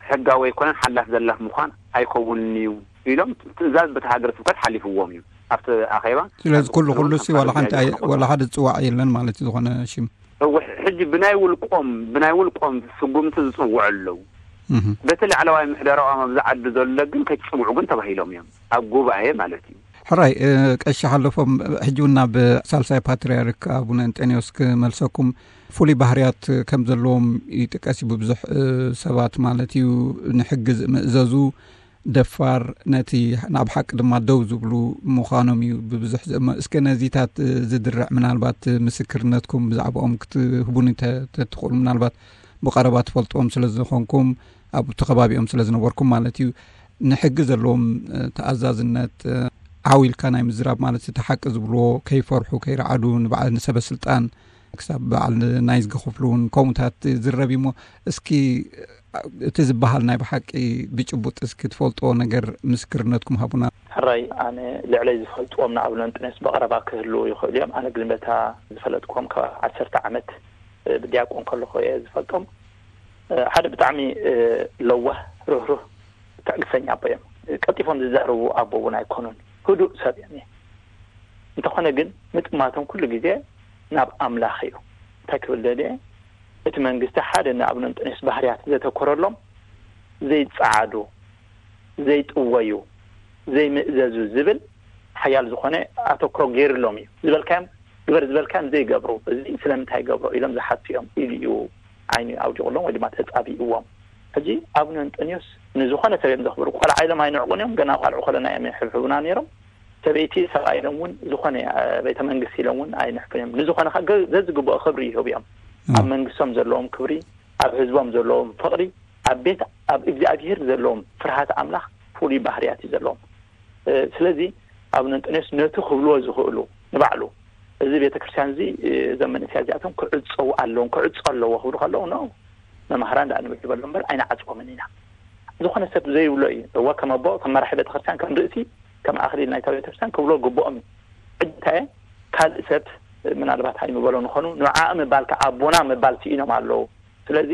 ሕጋዊ ኣይኮነን፣ ሓላፍ ዘላፍ ምዃን ኣይከውንን እዩ ኢሎም ትእዛዝ በቲ ሃገረ ስብከት ሓሊፍዎም እዩ ኣብቲ ኣኼባ። ስለዚ ኩሉ ኩሉ ሲ ዋላ ሓንቲ ኣይ- ዋላ ሓደ ዝፅዋዕ የለን ማለት እዩ ዝኾነ ሽም። እወ፣ ሕጂ ብናይ ውልቆም ብናይ ውልቆም ስጉምቲ ዝፅውዑ ኣለዉ። በቲ ላዕለዋይ ምሕደራኦም ኣብዚ ዓዲ ዘሎ ግን ከይትፅውዑ ግን ተባሂሎም እዮም ኣብ ጉባኤ ማለት እዩ። ሕራይ ቀሺ ሓለፎም፣ ሕጂ እውን ናብ ሳልሳይ ፓትርያርክ ኣቡነ እንጠንዮስ ክመልሰኩም። ፍሉይ ባህርያት ከም ዘለዎም ይጥቀስ እዩ ብብዙሕ ሰባት ማለት እዩ። ንሕጊ ዝምእዘዙ፣ ደፋር፣ ነቲ ናብ ሓቂ ድማ ደው ዝብሉ ምዃኖም እዩ ብብዙሕ ዝእመ። እስከ ነዚታት ዝድርዕ ምናልባት ምስክርነትኩም ብዛዕባኦም ክትህቡኒ ተትኽእሉ፣ ምናልባት ብቐረባ ትፈልጥዎም ስለ ዝኾንኩም ኣብቲ ከባቢኦም ስለ ዝነበርኩም ማለት እዩ። ንሕጊ ዘለዎም ተኣዛዝነት ዓው ኢልካ ናይ ምዝራብ ማለት እቲ ሓቂ ዝብልዎ ከይፈርሑ ከይረዓዱ ንበዓል ንሰበ ስልጣን ክሳብ በዓል ናይ ዝገኸፍሉ እውን ከምኡታት ዝረብ እሞ፣ እስኪ እቲ ዝበሃል ናይ ብሓቂ ብጭቡጥ እስኪ ትፈልጥዎ ነገር ምስክርነትኩም ሃቡና። ሕራይ፣ ኣነ ልዕለይ ዝፈልጥዎም ንኣብነ እንጥኔስ ብቐረባ ክህልዉ ይኽእሉ እዮም። ኣነ ግን በታ ዝፈለጥኩም ካብ ዓሰርተ ዓመት ብዲያቆን ከለኹ እየ ዝፈልጦም። ሓደ ብጣዕሚ ለዋህ፣ ርህሩህ፣ ትዕግሰኛ ኣቦ እዮም። ቀልጢፎም ዝዛረቡ ኣቦ እውን ኣይኮኑን። ህዱእ ሰብ እዮም። እንተኾነ ግን ምጥማቶም ኩሉ ግዜ ናብ ኣምላኽ እዩ። እንታይ ክብል ደልየ፣ እቲ መንግስቲ ሓደ ንኣብነ እንጥኔስ ባህርያት ዘተኮረሎም፣ ዘይጸዓዱ፣ ዘይጥወዩ፣ ዘይምእዘዙ ዝብል ሓያል ዝኾነ ኣተኩሮ ገይርሎም እዩ። ዝበልካዮም ግበር፣ ዝበልካዮም ዘይገብሩ፣ እዚ ስለምንታይ ይገብሮ ኢሎም ዝሓቱ እዮም ኢሉ እዩ ዓይኑ ኣውዲቑሎም ወይ ድማ ተጻቢእዎም። ሕጂ ኣብነ እንጠንዮስ ንዝኾነ ሰብ እዮም ዘኽብሩ። ቆልዓ ኢሎም ኣይንዕቁን እዮም፣ ገና ቆልዑ ከለና እዮም ይሕብሕቡና ነይሮም። ሰበይቲ ሰብኣይ ኢሎም እውን ዝኾነ ቤተ መንግስቲ ኢሎም እውን ኣይንሕብን እዮም። ንዝኾነ ከ ዘዝግብኦ ክብሪ ይህቡ እዮም። ኣብ መንግስቶም ዘለዎም ክብሪ፣ ኣብ ህዝቦም ዘለዎም ፍቕሪ፣ ኣብ ቤት ኣብ እግዚኣብሄር ዘለዎም ፍርሃት ኣምላኽ ፍሉይ ባህርያት እዩ ዘለዎም። ስለዚ ኣብነ እንጠንዮስ ነቲ ክብልዎ ዝኽእሉ ንባዕሉ፣ እዚ ቤተክርስትያን እዚ፣ እዞም መንእሰያት እዚኣቶም ክዕጸዉ ኣለዎም፣ ክዕጾ ኣለዎ ክብሉ ከለዉ፣ ኖ፣ መማህራን ደኣ ንብል ይበሉ እምበር ኣይንዓጽዎምን ኢና። ዝኾነ ሰብ ዘይብሎ እዩ። እወ፣ ከም ኣቦ፣ ከም መራሒ ቤተክርስትያን፣ ከም ርእሲ፣ ከም ኣኽሊል ናይታ ቤተክርስትያን ክብሎ ግብኦም እዩ። ሕጂ እንታይ ካልእ ሰብ ምናልባት ኣይምበሎ ንኾኑ፣ ንዓኣ ምባል ከኣ ኣቦና ምባል ስኢኖም ኣለዉ። ስለዚ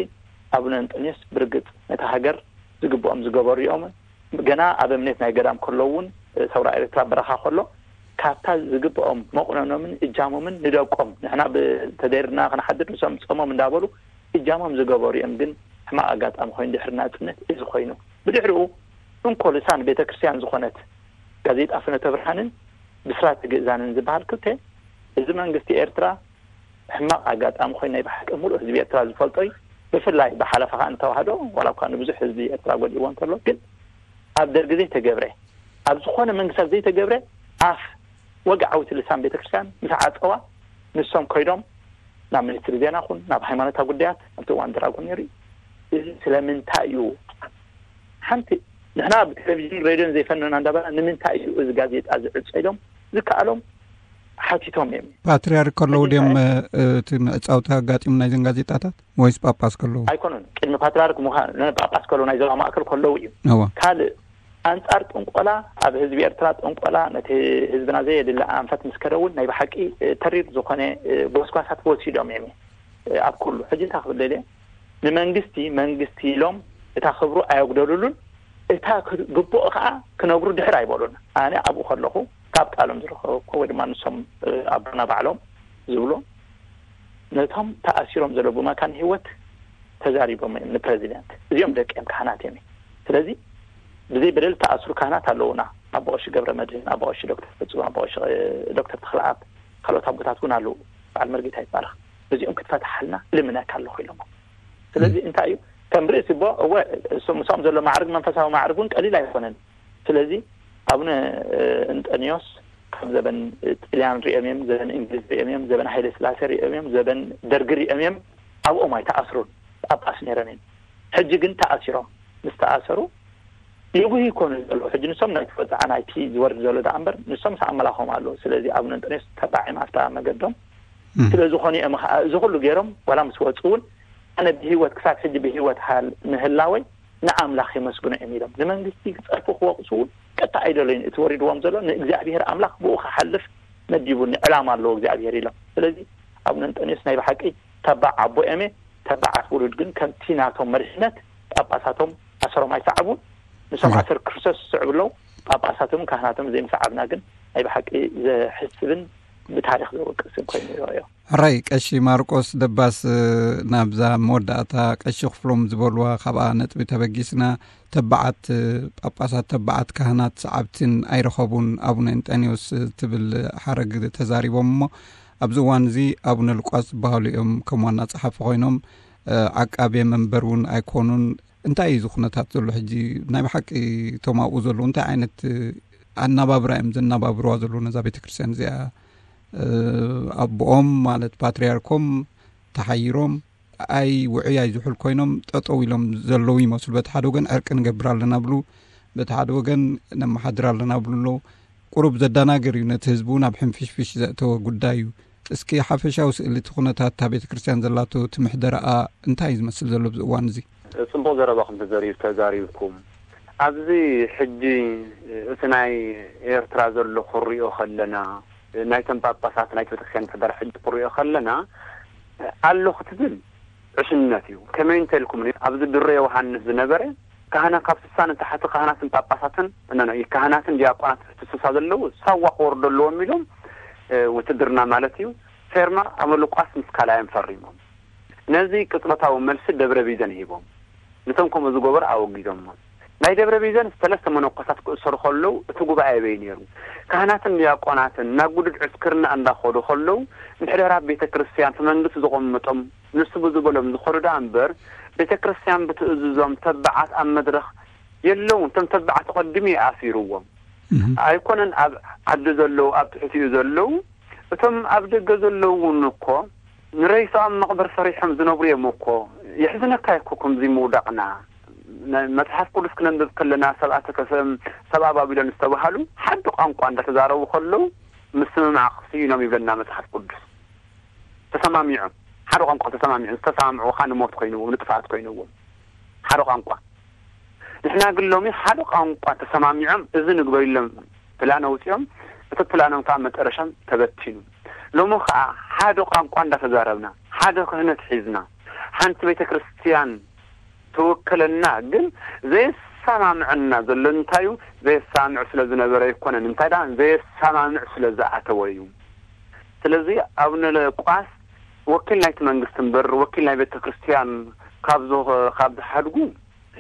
ኣብነ እንጠንዮስ ብርግጽ ነታ ሃገር ዝግብኦም ዝገበሩ እዮም። ገና ኣብ እምነት ናይ ገዳም ከለዉ እውን ሰውራ ኤርትራ በረኻ ከሎ ካብታ ዝግብኦም መቑነኖምን እጃሞምን ንደቆም ንሕና ተደይርና ክንሓድር ንሶም ጾሞም እንዳበሉ እጃሞም ዝገበሩ እዮም። ግን ሕማቕ ኣጋጣሚ ኮይኑ ድሕሪ ናጽነት እዚ ኮይኑ ብድሕሪኡ እንኮ ልሳን ቤተ ክርስቲያን ዝኾነት ጋዜጣ ፍኖተ ብርሃንን ብስራት ግእዛንን ዝበሃል ክልተ እዚ መንግስቲ ኤርትራ ሕማቕ ኣጋጣሚ ኮይኑ ናይ ብሓቂ ሙሉእ ህዝቢ ኤርትራ ዝፈልጦ እዩ። ብፍላይ ብሓለፋ ከኣ ንተዋህዶ ዋላ እኳ ንብዙሕ ህዝቢ ኤርትራ ጎዲእዎ እንተሎ ግን ኣብ ደርጊ ዘይተገብረ ኣብ ዝኾነ መንግስታት ዘይተገብረ ኣፍ ወግዓዊት ልሳን ቤተክርስትያን ምስ ዓጸዋ ንሶም ኮይዶም ናብ ሚኒስትሪ ዜና ኹን ናብ ሃይማኖታዊ ጉዳያት ኣብቲ እዋን ድራጎን ነይሩ እዩ። እዚ ስለምንታይ እዩ ሓንቲ ንሕና ብቴሌቪዥን ሬድዮን ዘይፈነና እንዳበላ ንምንታይ እዩ እዚ ጋዜጣ ዝዕጾ ኢሎም ዝከኣሎም ሓቲቶም እዮም። ፓትርያርክ ከለዉ ድዮም እቲ ምዕጻውቲ ኣጋጢሙ ናይዘን ጋዜጣታት ወይስ ጳጳስ ከለዉ? ኣይኮኑን። ቅድሚ ፓትርያርክ ምዃን ጳጳስ ከለዉ ናይ ዞባ ማእከል ከለዉ እዩ። እዋ። ካልእ ኣንጻር ጥንቆላ ኣብ ህዝቢ ኤርትራ ጥንቆላ ነቲ ህዝብና ዘየድሊ ኣንፈት ምስ ከደ እውን ናይ ብሓቂ ተሪር ዝኾነ ጎስጓሳት ወሲዶም እዮም። ኣብ ኩሉ ሕጂ እንታይ ክብል ደልየ ንመንግስቲ መንግስቲ ኢሎም እታ ክብሩ ኣየጉደሉሉን እታ ግቡእ ከዓ ክነግሩ ድሕር ኣይበሉን። ኣነ ኣብኡ ከለኹ ካብ ቃሎም ዝረኸብኩ ወይ ድማ ንሶም ኣቦና ባዕሎም ዝብሎ ነቶም ተኣሲሮም ዘለዉ ብመካን ህይወት ተዛሪቦም እዮም ንፕረዚደንት። እዚኦም ደቂ እዮም ካህናት እዮም። ስለዚ ብዘይ በደል ተኣስሩ ካህናት ኣለዉና። ኣባ ቀሺ ገብረ መድህን፣ ኣባ ቀሺ ዶክተር ፍጹም፣ ኣባ ቀሺ ዶክተር ተኽለኣብ ካልኦት ኣቦታት እውን ኣለዉ። በዓል መርጌታ ይትባረኽ ነዚኦም ክትፈትሓልና ልምነካ ኣለኹ ኢሎም። ስለዚ እንታይ እዩ ከም ርእሲ ቦ እወ እሱ ምሳኦም ዘሎ ማዕርግ መንፈሳዊ ማዕርግ እውን ቀሊል ኣይኮነን። ስለዚ ኣቡነ እንጠንዮስ ካብ ዘበን ጥልያን ሪኦም እዮም፣ ዘበን እንግሊዝ ሪኦም እዮም፣ ዘበን ሃይለ ስላሴ ሪኦም እዮም፣ ዘበን ደርጊ ሪኦም እዮም። ኣብኦም ኣይተኣስሩን ጳጳስ ነይሮም እዮም። ሕጂ ግን ተኣሲሮም ምስ ተኣሰሩ ይጉህ ይኮኑ ዘለዉ። ሕጂ ንሶም ናይቲ ወፃዓ ናይቲ ዝወርድ ዘሎ ደኣ እምበር ንሶም ምስ ኣመላኾም ኣለዉ። ስለዚ ኣቡነ እንጠንዮስ ተባዒም ኣብታ መገዶም ስለ ዝኾኑ እዮም። እዚ ኩሉ ገይሮም ዋላ ምስ ወፁ እውን ኣነ ብህይወት ክሳብ ሕጂ ብህይወት ምህላወይ ንኣምላኽ የመስግኖ እዮም ኢሎም ንመንግስቲ ክፀርፉ ክወቕሱ እውን ቀጥታ ኣይደለዩን። እቲ ወሪድዎም ዘሎ ንእግዚኣብሔር ኣምላኽ ብኡ ክሓልፍ መዲቡኒ ዕላማ ኣለዎ እግዚኣብሔር ኢሎም። ስለዚ ኣቡነ እንጠንዮስ ናይ ብሓቂ ተባዕ ኣቦ እዮም። ተባዓት ውሉድ ግን ከምቲ ናቶም መሪሕነት ጳጳሳቶም ኣሰሮም ኣይሰዓቡን። ንሶም ኣሰር ክርስቶስ ዝስዕቡ ኣለዉ። ጳጳሳቶምን ካህናቶም ዘይምስዓብና ግን ናይ ብሓቂ ዘሕስብን ብታሪኽ ዘወቅስን ኮይኑ ይረኣዮ። ሕራይ ቀሺ ማርቆስ ደባስ ናብዛ መወዳእታ ቀሺ ክፍሎም ዝበልዋ ካብኣ ነጥቢ ተበጊስና ተባዓት ጳጳሳት ተባዓት ካህናት ሰዓብትን ኣይረኸቡን ኣቡነ እንጠንዮስ ትብል ሓረግ ተዛሪቦም እሞ ኣብዚ እዋን እዚ ኣቡነ ሉቃስ ዝበሃሉ እዮም ከም ዋና ጸሓፊ ኮይኖም ዓቃቤ መንበር እውን ኣይኮኑን። እንታይ እዩ እዚ ኩነታት ዘሎ ሕጂ? ናይ ብሓቂ እቶም ኣብኡ ዘለዉ እንታይ ዓይነት ኣናባብራ እዮም ዘናባብርዋ ዘለዉ ነዛ ቤተ ክርስቲያን እዚኣ? ኣቦኦም ማለት ፓትርያርኮም ተሓይሮም ኣይ ውዑይ ኣይ ዝሑል ኮይኖም ጠጠው ኢሎም ዘለዉ ይመስሉ። በቲ ሓደ ወገን ዕርቂ ንገብር ኣለና ብሉ፣ በቲ ሓደ ወገን ነመሓድር ኣለና ብሉ ኣለዉ። ቁሩብ ዘዳናገር እዩ፣ ነቲ ህዝቢ እውን ኣብ ሕንፍሽፍሽ ዘእተወ ጉዳይ እዩ። እስኪ ሓፈሻዊ ስእሊ እቲ ኩነታት እታ ቤተ ክርስቲያን ዘላቶ እቲ ምሕደራኣ እንታይ እዩ ዝመስል ዘሎ ኣብዚ እዋን እዚ? ጽቡቕ ዘረባኹም ተዘሪ-፣ ተዛሪብኩም። ኣብዚ ሕጂ እቲ ናይ ኤርትራ ዘሎ ክሪኦ ከለና፣ ናይቶም ጳጳሳት ናይቲ ቤተክርስትያን ምሕደራ ሕጂ ክሪኦ ከለና፣ ኣሎ ክትብል ዕሽነት እዩ። ከመይ እንተልኩም፣ ኣብዚ ድሮ ዮሃንስ ዝነበረ ካህናት ካብ ስሳ ንታሕቲ ካህናትን ጳጳሳትን፣ ኖ፣ ኖ፣ ካህናትን ዲያቆናት ትስሳ ዘለዉ ሳዋ ክወርዱ ኣለዎም ኢሎም፣ እ፣ ውትድርና ማለት እዩ፣ ፌርማ ኣመ ሉቃስ ምስ ካልኣዮም ፈሪሞም። ነዚ ቅጽበታዊ መልሲ ደብረ ቢዘን ሂቦም። ነቶም ከምኡ ዝገበሩ ኣወጊዞሞም። ናይ ደብረ ቢዘን ሰለስተ መነኮሳት ክእሰሩ ከለዉ እቲ ጉባኤ ኣበይ ነይሩ? ካህናትን ዲያቆናትን ናብ ግዱድ ዕስክርና እንዳኸዱ ከለዉ ምሕደራ ቤተ ክርስቲያን እቲ መንግስቲ ዘቐምጦም ንሱ ብዝበሎም ዝኸዱ ደኣ እምበር ቤተ ክርስቲያን ብትእዝዞም ተባዓት ኣብ መድረኽ የለውን። እቶም ተባዓት ተቐዲሙ እዩ ኣሲርዎም። እህ። ኣይኮነን ኣብ ዓዲ ዘለዉ፣ ኣብ ትሕቲኡ ዘለዉ፣ እቶም ኣብ ደገ ዘለዉ እውን እኮ ንሬሳኦም መቕበር ሰሪሖም ዝነብሩ እዮም እኮ። የሕዝነካ እኮ ከምዚ ምውዳቕና። ነ-፣ መጽሓፍ ቅዱስ ክነንብብ ከለና፣ ሰብኣ ተከሰም፣ ሰብኣ ባቢሎን ዝተባሃሉ ሓደ ቋንቋ እንዳተዛረቡ ከለዉ ምስምማዕ ክስኢኖም ይብለና መጽሓፍ ቅዱስ። ተሰማሚዖም፣ ሓደ ቋንቋ ተሰማሚዖም፣ ዝተሰማምዑ ኸኣ ንሞት ኮይንዎም፣ ንጥፍኣት ኮይንዎም። ሓደ ቋንቋ። ንሕና ግን ሎሚ ሓደ ቋንቋ ተሰማሚዖም፣ እዚ ንግበር ኢሎም ፕላን ኣውጺኦም፣ እቲ ፕላኖም ከኣ መጨረሻም ተበቲኑ። ሎሚ ከኣ ሓደ ቋንቋ እንዳተዛረብና፣ ሓደ ክህነት ሒዝና፣ ሓንቲ ቤተ ክርስቲያን ትውክለና፣ ግን ዘየሰማምዐና ዘሎ እንታይ እዩ? ዘየሰማምዕ ስለ ዝነበረ ኣይኮነን። እንታይ ደኣ? ዘየሰማምዕ ስለ ዝኣተወ እዩ። ስለዚ ኣቡነ ሉቃስ ወኪል ናይቲ መንግስቲ እምበር ወኪል ናይ ቤተ ክርስቲያን ካብ ዝ-፣ ካብ ዝሓድጉ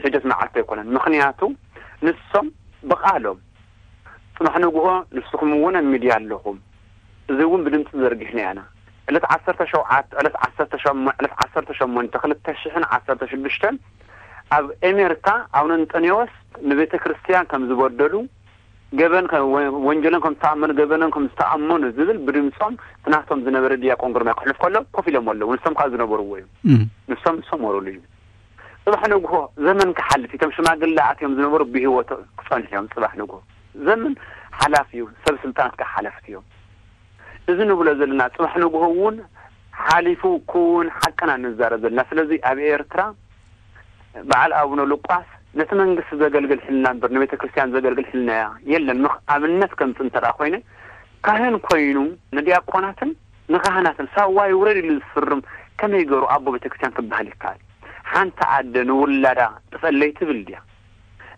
ሒደት መዓልቲ ኣይኮነን። ምኽንያቱ ንሶም ብቓሎም ጽባሕ ንግሆ ንስኹም እውን ኣብ ሚድያ ኣለኹም፣ እዚ እውን ብድምፂ ዘርጊሕና ኢና። ዕለት ዓሰርተ ሸውዓተ፣ ዕለት ዓሰርተ ሸሞንተ፣ ዕለት ዓሰርተ ሸሞንተ ክልተ ሽሕን ዓሰርተ ሽዱሽተን ኣብ ኤሜርካ ኣቡነ እንጠንዮስ ንቤተ ክርስቲያን ከም ዝበደሉ፣ ገበን ከ-፣ ወ-፣ ወንጀሎም ከም ዝተኣመኑ፣ ገበኖም ከም ዝተኣመኑ ዝብል ብድምፆም እቲ ናቶም ዝነበረ ዲያቆን ግርማይ ክሕልፍ ከሎ ኮፍ ኢሎም ኣለዉ። ንሶም ከዓ ዝነበርዎ እዩ። እም። ንሶም ዝሰመሩሉ እዩ። ጽባሕ ንግሆ ዘመን ክሓልፍ እዩ። እቶም ሽማግለ ኣትዮም ዝነበሩ ብህይወት ክጸንሑ እዮም። ጽባሕ ንግሆ ዘመን ሓላፍ እዩ። ሰብ ስልጣናት ከዓ ሓለፍቲ እዮም። እዚ ንብሎ ዘለና ጽባሕ ንግሆ እውን ሓሊፉ ክውን ሓቅና ንዛረብ ዘለና። ስለዚ ኣብ ኤርትራ በዓል ኣቡነ ሉቃስ ነቲ መንግስቲ ዘገልግል ሕልና እምበር ንቤተ ክርስቲያን ዘገልግል ሕልና የለን። ምኽ-፣ ኣብነት ከምጽእ እንተ ደኣ ኮይነ፣ ካህን ኮይኑ ንዲያቆናትን ንካህናትን ሳዋ ይውረድ ኢሉ ዝፍርም ከመይ ገይሩ ኣቦ ቤተ ክርስቲያን ክበሃል ይከኣል? ሓንቲ ኣደ ንውላዳ ጥፈለይ ትብል ድያ?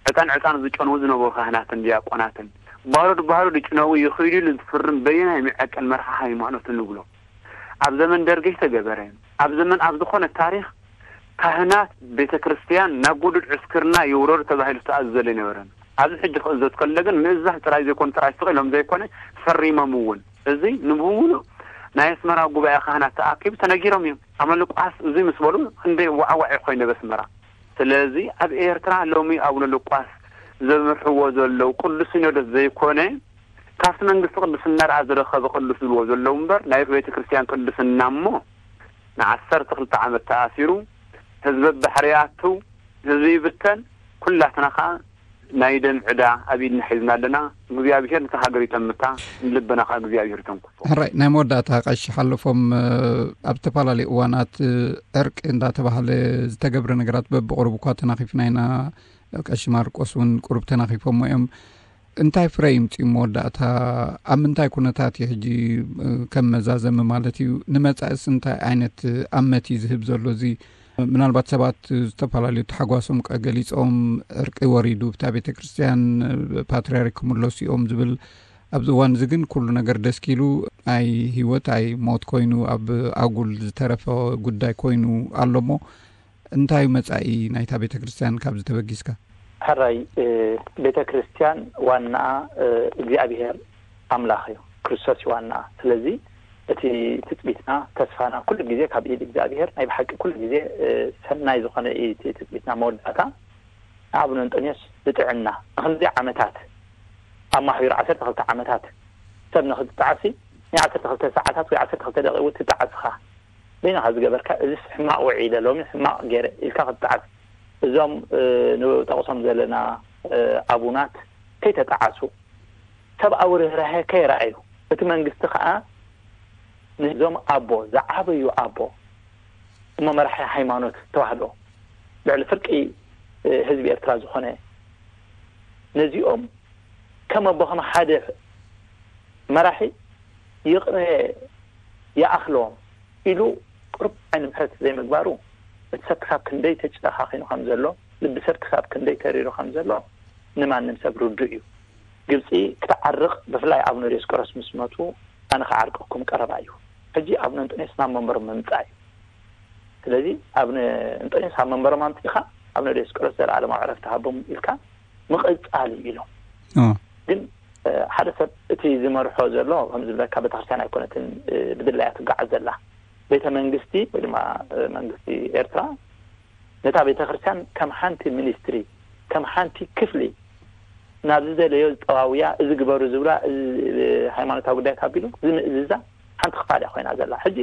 ዕጣን ዕጣን ዝጨንዉ ዝነበሩ ካህናትን ዲያቆናትን ባሩድ ባሩድ ይጭነዉ ይኽዱ ኢሉ ዝፍርም በየናይ መዐቀን መርሓ ሃይማኖት ንብሎ? ኣብ ዘመን ደርጊ ዝተገበረ፣ ኣብ ዘመን ኣብ ዝኾነ ታሪኽ ካህናት ቤተ ክርስቲያን ናብ ጉዱድ ዕስክርና ይውረዱ ተባሂሉ ዝተኣዘዘ ኣይነበረን። ኣብዚ ሕጂ ክእዘዝ ከሎ ግን ምእዛዝ ጥራይ ዘይኮነ፣ ጥራይ ስቕ ኢሎም ዘይኮነ ፈሪሞም እውን። እዚ ንምሉእ ናይ ኣስመራ ጉባኤ ካህናት ተኣኪቡ ተነጊሮም እዮም። ኣመ ሉቃስ እዚ ምስ በሉ ክንደይ ዋዕዋዕ ኮይነ በስመራ። ስለዚ ኣብ ኤርትራ ሎሚ ኣቡነ ሉቃስ ዘምርሕዎ ዘለዉ ቅዱስ ሲኖዶስ ዘይኮነ ካብቲ መንግስቲ ቅድስና ደኣ ዝረኸበ ቅዱስ ዝብልዎ ዘለዉ እምበር ናይ ቤተ ክርስቲያን ቅድስና እሞ ንዓሰርተ ክልተ ዓመት ተኣሲሩ ህዝቢ ኣብ ባሕሪ ይኣቱ፣ ህዝቢ ይብተን፣ ኩላትና ከኣ ናይ ደም ዕዳ ኣብ ኢድና ሒዝና ኣለና። እግዚኣብሄር ነታ ሃገር ይጠምታ፣ ንልብና ከኣ እግዚኣብሄር ይተንክፎ። ሕራይ፣ ናይ መወዳእታ ቀሺ ሓለፎም፣ እ፣ ኣብ ዝተፈላለዩ እዋናት፣ እ፣ ዕርቂ እንዳተባሃለ ዝተገብረ ነገራት በብቕሩብ እኳ ተናኺፍና ኢና። ቀሺ ማርቆስ እውን ቁሩብ ተናኺፎሞ እዮም። እንታይ ፍረ ይምጽእ መወዳእታ? ኣብ ምንታይ ኩነታት እዩ ሕጂ፣ እ፣ ከም መዛዘሚ ማለት እዩ? ንመጻኢስ እንታይ ዓይነት ኣመት እዩ ዝህብ ዘሎ? እዚ ምናልባት ሰባት ዝተፈላለዩ ተሓጓሶም ቀ-፣ ገሊጾም፣ ዕርቂ ወሪዱ፣ ብታ ቤተ ክርስቲያን፣ እ፣ ፓትርያርክ ክምለሱ እዮም ዝብል፣ ኣብዚ እዋን እዚ ግን ኩሉ ነገር ደስኪሉ፣ ኣይ ህይወት ኣይ ሞት ኮይኑ፣ ኣብ ኣጉል ዝተረፈ ጉዳይ ኮይኑ ኣሎ እሞ፣ እንታይ እዩ መጻኢ ናይታ ቤተ ክርስቲያን ካብዚ ተበጊስካ? ሕራይ፣ እ፣ ቤተ ክርስቲያን ዋናኣ፣ እ፣ እግዚኣብሔር ኣምላኽ እዩ፣ ክርስቶስ እዩ ዋናኣ። ስለዚ እቲ ትጽቢትና፣ ተስፋና ኩሉ ግዜ ካብ ኢድ እግዚኣብሔር፣ ናይ ብሓቂ ኩሉ ግዜ፣ እ፣ ሰናይ ዝኾነ እዩ እቲ ትጽቢትና። መወዳእታ ንኣቡነ እንጦንዮስ ብጥዕና ንኽንደይ ዓመታት ኣማሕቢሩ፣ ዓሰርተ ክልተ ዓመታት ሰብ ንኽትጠዓሲ፣ ናይ ዓሰርተ ክልተ ሰዓታት ወይ ዓሰርተ ክልተ ደቂቕ እውን ትጠዓስኻ። በይንኻ ዝገበርካ፣ እዚስ ሕማቕ ውዒለ፣ ሎሚ ሕማቕ ገይረ ኢልካ ክትጠዓስ። እዞም፣ እ፣ ንጠቕሶም ዘለና፣ እ፣ ኣቡናት ከይተጠዓሱ፣ ሰብኣዊ ርህራሄ ከየርኣዩ፣ እቲ መንግስቲ ከኣ ነዞም ኣቦ፣ ዝዓበዩ ኣቦ፣ እሞ መራሒ ሃይማኖት ተዋህዶ፣ ልዕሊ ፍርቂ ህዝቢ ኤርትራ ዝኾነ፣ ነዚኦም ከም ኣቦ፣ ከም ሓደ መራሒ ይቕነ ይኣኽሎም ኢሉ ቁሩብ ዓይኒ ምሕረት ዘይምግባሩ፣ እቲ ሰብ ክሳብ ክንደይ ተጨኻኺኑ ከም ዘሎ፣ ልቢ ሰብ ክሳብ ክንደይ ተሪሩ ከም ዘሎ ንማንም ሰብ ርዱእ እዩ። ግብጺ ክትዓርቕ፣ ብፍላይ ኣቡነ ዲዮስቆሮስ ምስ መቱ፣ ኣነ ክዓርቀኩም ቀረባ እዩ። ሕጂ ኣቡነ እንጦንዮስ ናብ መንበሮም ምምጻእ እዩ። ስለዚ ኣቡነ እንጦንዮስ ኣብ መንበሮም ኣምጺእኻ፣ ኣቡነ ዲዮስቆሮስ ዘለዓለማዊ ዕረፍቲ ሃቦም ኢልካ ምቕጻል እዩ ኢሎም። ኦ። ግን፣ እ፣ ሓደ ሰብ እቲ ዝመርሖ ዘሎ፣ ከም ዝብለካ፣ ቤተክርስትያን ኣይኮነትን፣ እ፣ ብድላያ ትጓዓዝ ዘላ። ቤተ መንግስቲ ወይ ድማ፣ እ፣ መንግስቲ ኤርትራ ነታ ቤተክርስትያን ከም ሓንቲ ሚኒስትሪ፣ ከም ሓንቲ ክፍሊ፣ ናብ ዝደለዮ ዝጠዋውያ፣ እዚ ግበሩ ዝብላ፣ እዚ፣ እ፣ ሃይማኖታዊ ጉዳያት ኣቢሉ ዝምእዝዛ ሓንቲ ክፋል እያ ኮይና ዘላ። ሕጂ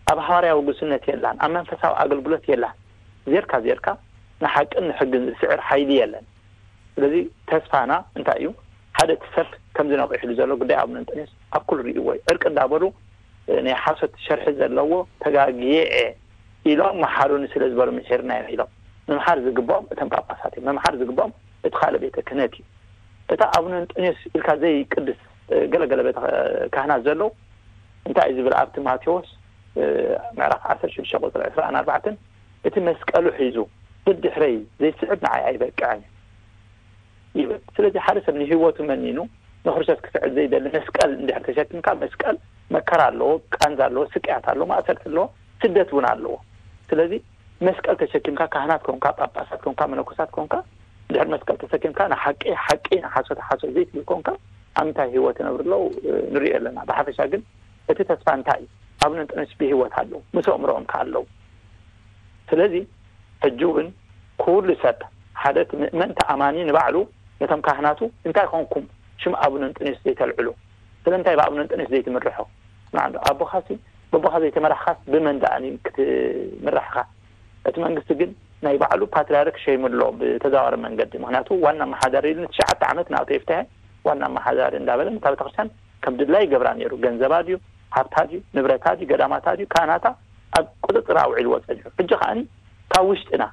ኣብ ሃዋርያዊ ጉስነት የላን፣ ኣብ መንፈሳዊ ኣገልግሎት የላን። ዜርካ ዜርካ ንሓቅን ንሕግን ዝስዕር ሓይሊ የለን። ስለዚ ተስፋና እንታይ እዩ? ሓደ እቲ ሰብ ከምዚ ነቒሕሉ ዘሎ ጉዳይ ኣቡነ እንጦንዮስ ኣብ ኩሉ ርእይዎ እዩ። ዕርቂ እንዳበሉ፣ እ፣ ናይ ሓሶት ሸርሒ ዘለዎ፣ ተጋግየ እየ ኢሎም፣ መሓሩኒ ስለ ዝበሉ ምሒርና እዮም ኢሎም። ምምሓር ዝግብኦም እቶም ጳጳሳት እዮም። ምምሓር ዝግብኦም እቲ ካልእ ቤተ ክህነት እዩ። እታ ኣቡነ እንጦንዮስ ኢልካ ዘይቅድስ፣ እ፣ ገለገለ ቤተ ካህናት ዘለዉ፣ እንታይ እዩ ዝብል ኣብቲ ማቴዎስ፣ እ፣ ምዕራፍ ዓሰርተ ሽዱሽተ ቁጽሪ ዕስራን ኣርባዕተን፣ እቲ መስቀሉ ሒዙ ደድሕረይ ዘይስዕብ ንዓይ ኣይበቅዕን እዩ ይብል። ስለዚ ሓደ ሰብ ንህይወቱ መኒኑ ንክርስቶስ ክስዕብ ዘይደሊ፣ መስቀል እንድሕር ተሸኪምካ፣ መስቀል መከራ ኣለዎ፣ ቃንዛ ኣለዎ፣ ስቅያት ኣለዎ፣ ማእሰርቲ ኣለዎ፣ ስደት እውን ኣለዎ። ስለዚ መስቀል ተሸኪምካ፣ ካህናት ኮንካ፣ ጳጳሳት ኮንካ፣ መነኮሳት ኮንካ፣ እንድሕር መስቀል ተሰኪምካ፣ ንሓቂ ሓቂ፣ ንሓሶት ሓሶት ዘይትብል ኮንካ፣ ኣብ ምንታይ ህይወት ይነብሩ ኣለዉ፣ እ፣ ንሪኦ ኣለና። ብሓፈሻ ግን እቲ ተስፋ እንታይ እዩ? ኣቡነ እንጦንዮስ ብህይወት ኣለዉ፣ ምስ ኣእምሮኦም ከኣ ኣለዉ። ስለዚ ሕጂ እውን ኩሉ ሰብ፣ ሓደ እቲ ምእመን ተኣማኒ ንባዕሉ ነቶም ካህናቱ፣ እንታይ ኮንኩም ሽም ኣቡነ እንጦንዮስ ዘይተልዕሉ? ስለምንታይ ብኣቡነ እንጦንዮስ ዘይትምርሖ? ንዓ፣ ኣቦኻሲ፣ በቦኻ ዘይተመራሕኻስ ብመን ደኣኒ ክትምራሕ ኢኻ? እቲ መንግስቲ ግን ናይ ባዕሉ ፓትርያርክ ሸይሙ ኣሎ ብተዘዋዋሪ መንገዲ። ምኽንያቱ ዋና ኣመሓዳሪ ኢሉ ንትሽዓተ ዓመት ንኣቶ ይፍትሐ ዋና ኣመሓዳሪ እንዳበለ ነታ ቤተክርስትያን ከም ድላዩ ይገብራ ነይሩ። ገንዘባ ድዩ፣ ሃብታ ድዩ፣ ንብረታ ድዩ፣ ገዳማታ ድዩ፣ ካህናታ ኣብ ቁጽጽር ኣውዒልዎ ጸኒሑ። ሕጂ ከኣኒ ካብ ውሽጥና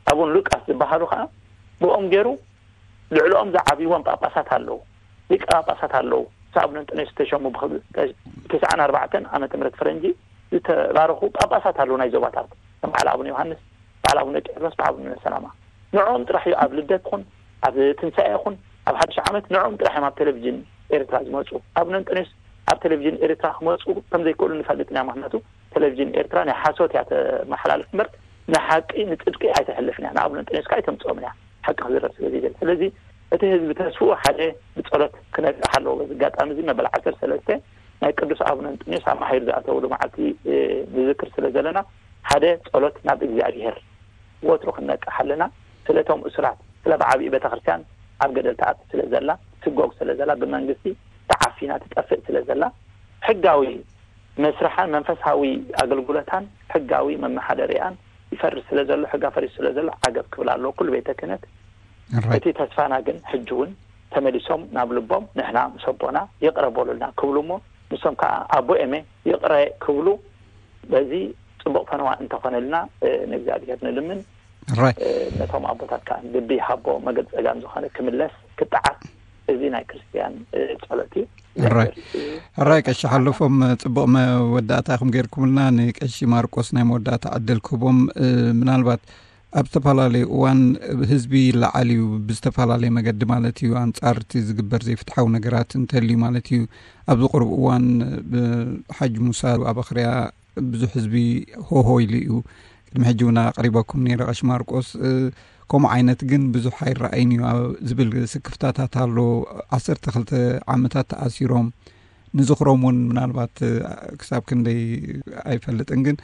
ኣቡን ሉቃስ ዝበሃሉ ከኣ ብኦም ገይሩ ልዕልኦም ዝዓብይዎም ጳጳሳት ኣለዉ፣ ሊቀ ጳጳሳት ኣለዉ። ምስ ኣቡነ እንጦንዮስ ዝተሸሙ ብኽብ-፣ ተስዓን ኣርባዕተን ዓመተ ምህረት ፈረንጂ ዝተባረኹ ጳጳሳት ኣለዉ ናይ ዞባታት። ከም በዓል ኣቡነ ዮሃንስ፣ በዓል ኣቡነ ቄርሎስ፣ በዓል ኣቡነ ሰላማ። ንዕኦም ጥራሕ እዩ ኣብ ልደት ይኹን፣ ኣብ ትንሳኤ ይኹን፣ ኣብ ሓድሽ ዓመት ንዕኦም ጥራሕ እዮም ኣብ ቴሌቪዥን ኤርትራ ዝመጹ። ኣቡነ እንጦንዮስ ኣብ ቴሌቪዥን ኤርትራ ክመጹ ከም ዘይክእሉ ንፈልጥ ኢና። ምኽንያቱ ቴሌቪዥን ኤርትራ ናይ ሓሶት እያ ተመሓላልፍ እምበር፣ ንሓቂ ንጽድቂ ኣይተሕልፍን እያ። ንኣቡነ እንጦንዮስ ከኣ ኣይተምጽኦምን እያ፣ ሓቂ ክዝረብ ስለ ዘይደሊ። ስለዚ እቲ ህዝቢ ተስፍኡ ሓደ ብጸሎት ክነቅሕ ኣለዎ። በዚ ኣጋጣሚ እዚ መበል ዓሰርተ ሰለስተ ናይ ቅዱስ ኣቡነ እንጦንዮስ ኣማሂሩ ዝኣተውሉ መዓልቲ፣ እ፣ ንዝክር ስለ ዘለና፣ ሓደ ጸሎት ናብ እግዚኣብሔር ወትሩ ክንነቅሕ ኣለና። ስለ እቶም እሱራት፣ ስለ ብዓቢኡ ቤተክርስትያን ኣብ ገደል ትኣቱ ስለ ዘላ፣ ትጎግ ስለ ዘላ፣ ብመንግስቲ ተዓፊና ትጠፍእ ስለ ዘላ፣ ሕጋዊ መስርሓን መንፈሳዊ ኣገልግሎታን ሕጋዊ መመሓደሪኣን ይፈርስ ስለ ዘሎ፣ ሕጋ ፈሪሱ ስለ ዘሎ ዓገብ ክብል ኣለዎ ኩሉ ቤተ ክህነት። ራይት። እቲ ተስፋና ግን ሕጂ እውን ተመሊሶም ናብ ልቦም፣ ንሕና ምስ ኣቦና ይቕረ በሉልና ክብሉ እሞ፣ ንሶም ከዓ ኣቦ ኤመ ይቕረ ክብሉ፣ በዚ ጽቡቕ ፈነዋ እንተኾነልና፣ እ፣ ንእግዚኣብሔር ንልምን። ራይት። እ፣ ነቶም ኣቦታት ከዓ ልቢ ይሃቦ፣ መገድ ጸጋም ዝኾነ ክምለስ፣ ክጠዓስ፣ እዚ ናይ ክርስትያን፣ እ፣ ጸሎት እዩ። ራይት። ራይ ቀሺ ሓለፎም ጽቡቕ መወዳእታ ኢኹም ገይርኩምልና። ንቀሺ ማርቆስ ናይ መወዳእታ ዕድል ክህቦም፣ እ፣ ምናልባት ኣብ ዝተፈላለየ እዋን ህዝቢ ይለዓል እዩ፣ ብዝተፈላለየ መገዲ ማለት እዩ፣ ኣንጻር እቲ ዝግበር ዘይፍትሓዊ ነገራት እንተልዩ ማለት እዩ። ኣብዚ ቁሩብ እዋን ብሓጅ ሙሳ ኣብ ኣኽርያ ብዙሕ ህዝቢ ሆሆ ኢሉ እዩ። ቅድሚ ሕጂ እውን ኣቕሪበኩም ነይረ ቀሺ ማርቆስ። እ፣ ከምኡ ዓይነት ግን ብዙሕ ኣይረኣይን እዩ ኣብ ዝብል ስክፍታታት ኣሎ። ዓሰርተ ክልተ ዓመታት ተኣሲሮም፣ ንዝኽሮም እውን ምናልባት፣ እ፣ ክሳብ ክንደይ ኣይፈልጥን፣ ግን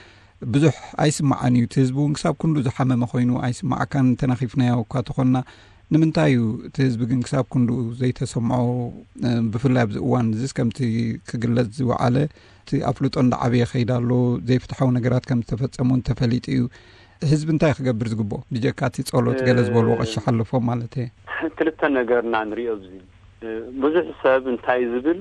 ብዙሕ ኣይስማዓን እዩ። እቲ ህዝቢ እውን ክሳብ ክንዱ ዝሓመመ ኮይኑ ኣይስማዓካን። ተናኺፍናዮ እኳ ተኾንና፣ ንምንታይ እዩ እቲ ህዝቢ ግን ክሳብ ክንዱ ዘይተሰምዖ? እ፣ ብፍላይ ኣብዚ እዋን እዚስ ከምቲ ክግለጽ ዝወዓለ፣ እቲ ኣፍልጦ እንዳዓበየ ይኸይድ ኣሎ፣ ዘይፍትሓዊ ነገራት ከም ዝተፈጸሙ እንተፈሊጡ እዩ። ህዝቢ እንታይ ክገብር ዝግብኦ? ብጀካ እቲ ጸሎት ገለ ዝበልዎ እ፣ ቀሺ ሓለፎም ማለት እየ። ክልተ ነገርና ንሪኦ ኣብዚ። እ፣ ብዙሕ ሰብ እንታይ ዝብል፣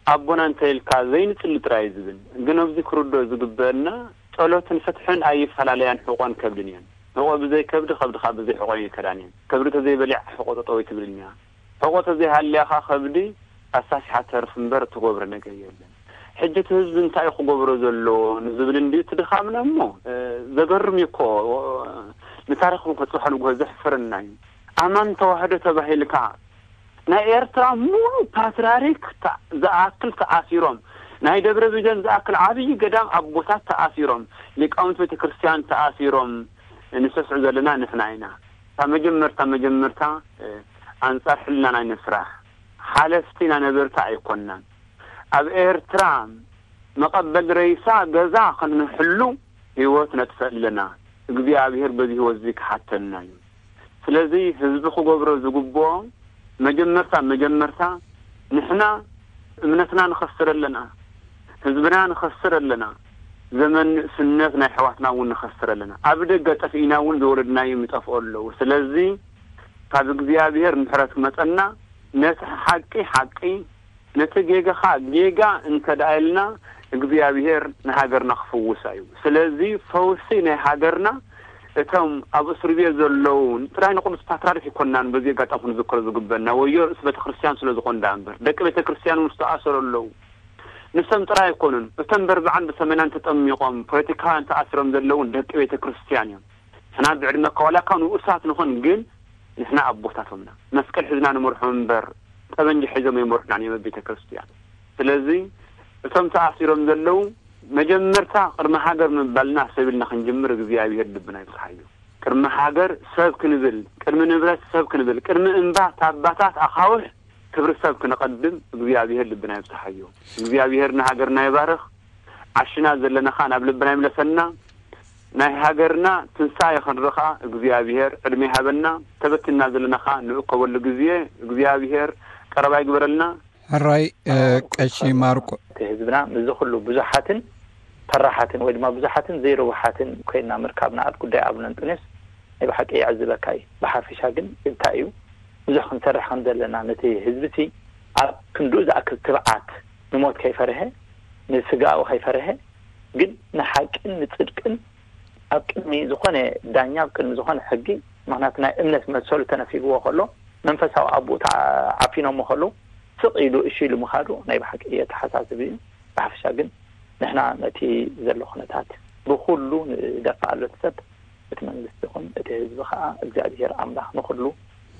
ኣቦና እንተ ኢልካ ዘይንጽሊ ጥራይ እዩ ዝብል። ግን ኣብዚ ክርድኦ ዝግበአና፣ ጸሎትን ፍትሕን ኣይፈላለያን፣ ሕቖን ከብድን እየን። ሕቖ ብዘይ ከብዲ፣ ከብዲ ከኣ ብዘይ ሕቖ ኣይከዳን እየን። ከብዲ ተዘይበሊዓ ሕቖ ጠጠው ኣይትብልን እያ። ሕቖ ተዘይሃልያ ከኣ ከብዲ ኣሳሲሓ ተርፍ እምበር እትገብሮ ነገር የለን። ሕጂ እቲ ህዝቢ እንታይ እዩ ክገብሮ ዘለዎ ንዝብል እንድዩ እቲ ድኻምና እሞ፣ እ፣ ዘገርም እዩ እኮ። ንታሪኽ እውን ከጽብሖ ንግሆ ዘሕፍረና እዩ። ኣማን ተዋህዶ ተባሂልካ ናይ ኤርትራ ሙሉ ፓትርያርክ ተ-፣ ዝኣክል ተኣሲሮም፣ ናይ ደብረ ቢዘን ዝኣክል ዓብዪ ገዳም ኣቦታት ተኣሲሮም፣ ሊቃውንት ቤተ ክርስቲያን ተኣሲሮም፣ ንሰስዑ ዘለና ንሕና ኢና። ካብ መጀመርታ መጀመርታ፣ እ፣ ኣንጻር ሕልናና ኣይንስራሕ። ሓለፍቲ ኢና ነበርቲ ኣይኮናን። ኣብ ኤርትራ መቐበል ሬሳ ገዛ ክንሕሉ ህይወት ነጥፍእ ኣለና። እግዚኣብሔር በዚ ህይወት እዚ ክሓተና እዩ። ስለዚ ህዝቢ ክገብሮ ዝግብኦ መጀመርታ መጀመርታ ንሕና እምነትና ንኸስር ኣለና፣ ህዝብና ንኸስር ኣለና፣ ዘመን ንእስነት ናይ ኣሕዋትና እውን ንኸስር ኣለና። ኣብ ደገ ጠፊእና እውን ዝወለድናዮም ይጠፍኡ ኣለዉ። ስለዚ ካብ እግዚኣብሔር ምሕረት ክመጸና ነቲ ሓቂ ሓቂ ነቲ ጌጋ ኸኣ ጌጋ እንተ ደኣ ኢልና እግዚኣብሔር ንሃገርና ክፍውሳ እዩ። ስለዚ ፈውሲ ናይ ሃገርና እቶም ኣብ እስር ቤት ዘለዉ ጥራይ ንቅዱስ ፓትርያርክ ይኮናን በዚ ኣጋጣሚ ክንዝክሮ ዝግበና ወዮ ርእሲ ቤተ ክርስቲያን ስለ ዝኾኑ ደኣ እምበር ደቂ ቤተ ክርስቲያን እውን ዝተኣሰሩ ኣለዉ። ንሶም ጥራይ ኣይኮኑን። እቶም በርብዓን ብሰመናን ተጠሚቖም ፖለቲካውያን ተኣሲሮም ዘለዉ እውን ደቂ ቤተ ክርስቲያን እዮም። ንሕና ብዕድመ ከዋላካ ንኡሳት ንኹን ግን ንሕና ኣቦታቶምና መስቀል ሒዝና ንመርሖም እምበር ጠበንጃ ሒዞም ኣይመርሑናን እዮም ኣብ ቤተ ክርስቲያን። ስለዚ እቶም ተኣሲሮም ዘለዉ መጀመርታ ቅድሚ ሃገር ምባልና ሰብ ኢልና ክንጅምር እግዚኣብሔር ልብና ይብጽሓዮ። ቅድሚ ሃገር ሰብ ክንብል፣ ቅድሚ ንብረት ሰብ ክንብል፣ ቅድሚ እምባ ታባታት ኣኻውሕ ክብሪ ሰብ ክነቐድም እግዚኣብሔር ልብና ይብጽሓዮ። እግዚኣብሔር ንሃገርና ይባርኽ። ዓሽና ዘለና ኸኣ ናብ ልብና ይምለሰና። ናይ ሃገርና ትንሳኤ ክንርኢ ኸኣ እግዚኣብሔር ዕድመ ይሃበና። ተበቲንና ዘለና ኸኣ ንእከበሉ ግዜ እግዚኣብሔር ቀረባ ይግበረልና። ሕራይ፣ እ፣ ቀሺ ማርቆ። እቲ ህዝብና ምስዚ ኩሉ ብዙሓትን ፈራሓትን ወይ ድማ ብዙሓትን ዘይርቡሓትን ኮይንና ምርካብና ኣብ ጉዳይ ኣቡነ እንጦንዮስ ናይ ብሓቂ የዕዝበካ እዩ። ብሓፈሻ ግን እንታይ እዩ ብዙሕ ክንሰርሕ ከም ዘለና ነቲ ህዝቢ ሲ ኣብ ክንድኡ ዝኣክል ትብዓት ንሞት ከይፈርሀ ንስጋኡ ከይፈርሀ ግን ንሓቅን ንጽድቅን ኣብ ቅድሚ ዝኾነ ዳኛ ኣብ ቅድሚ ዝኾነ ሕጊ ምክንያቱ ናይ እምነት መሰሉ ተነፊግዎ ከሎ መንፈሳዊ ኣቦኡ ተዓ-፣ ዓፊኖሞ ከሎ ስቕ ኢሉ እሺ ኢሉ ምኻዱ ናይ ብሓቂ የተሓሳስብ እዩ። ብሓፈሻ ግን ንሕና ነቲ ዘሎ ኩነታት ብኹሉ ንደፋእ ኣሎ እቲ ሰብ እቲ መንግስቲ ይኹን እቲ ህዝቢ ከዓ እግዚኣብሔር ኣምላኽ ንኹሉ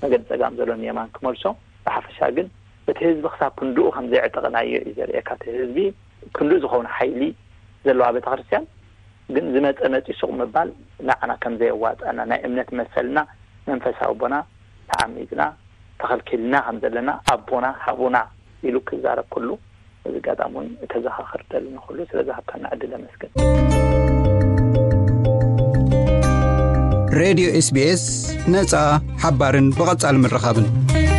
መገዲ ጸጋም ዘሎ ንየማን ክመልሶ። ብሓፈሻ ግን እቲ ህዝቢ ክሳብ ክንድኡ ከም ዘየዕጠቕናዮ እዩ ዘርእየካ። እቲ ህዝቢ ክንድኡ ዝኸውን ሓይሊ ዘለዋ ቤተክርስትያን ግን ዝመጸ መጺ ሱቕ ምባል ንዓና ከም ዘየዋጣና ናይ እምነት መሰልና መንፈሳዊ ኣቦና ተዓሚጽና ተኸልኪልና ከም ዘለና ኣቦና ሃቡና ኢሉ ክዛረብ ኩሉ እዚ ኣጋጣሚ እውን እተዘኻኽር ደሊ ንኹሉ ስለ ዝሃብካና ዕድል ኣመስግን። ሬድዮ ኤስቢኤስ ነጻ ሓባርን ብቐጻሊ ምርኻብን።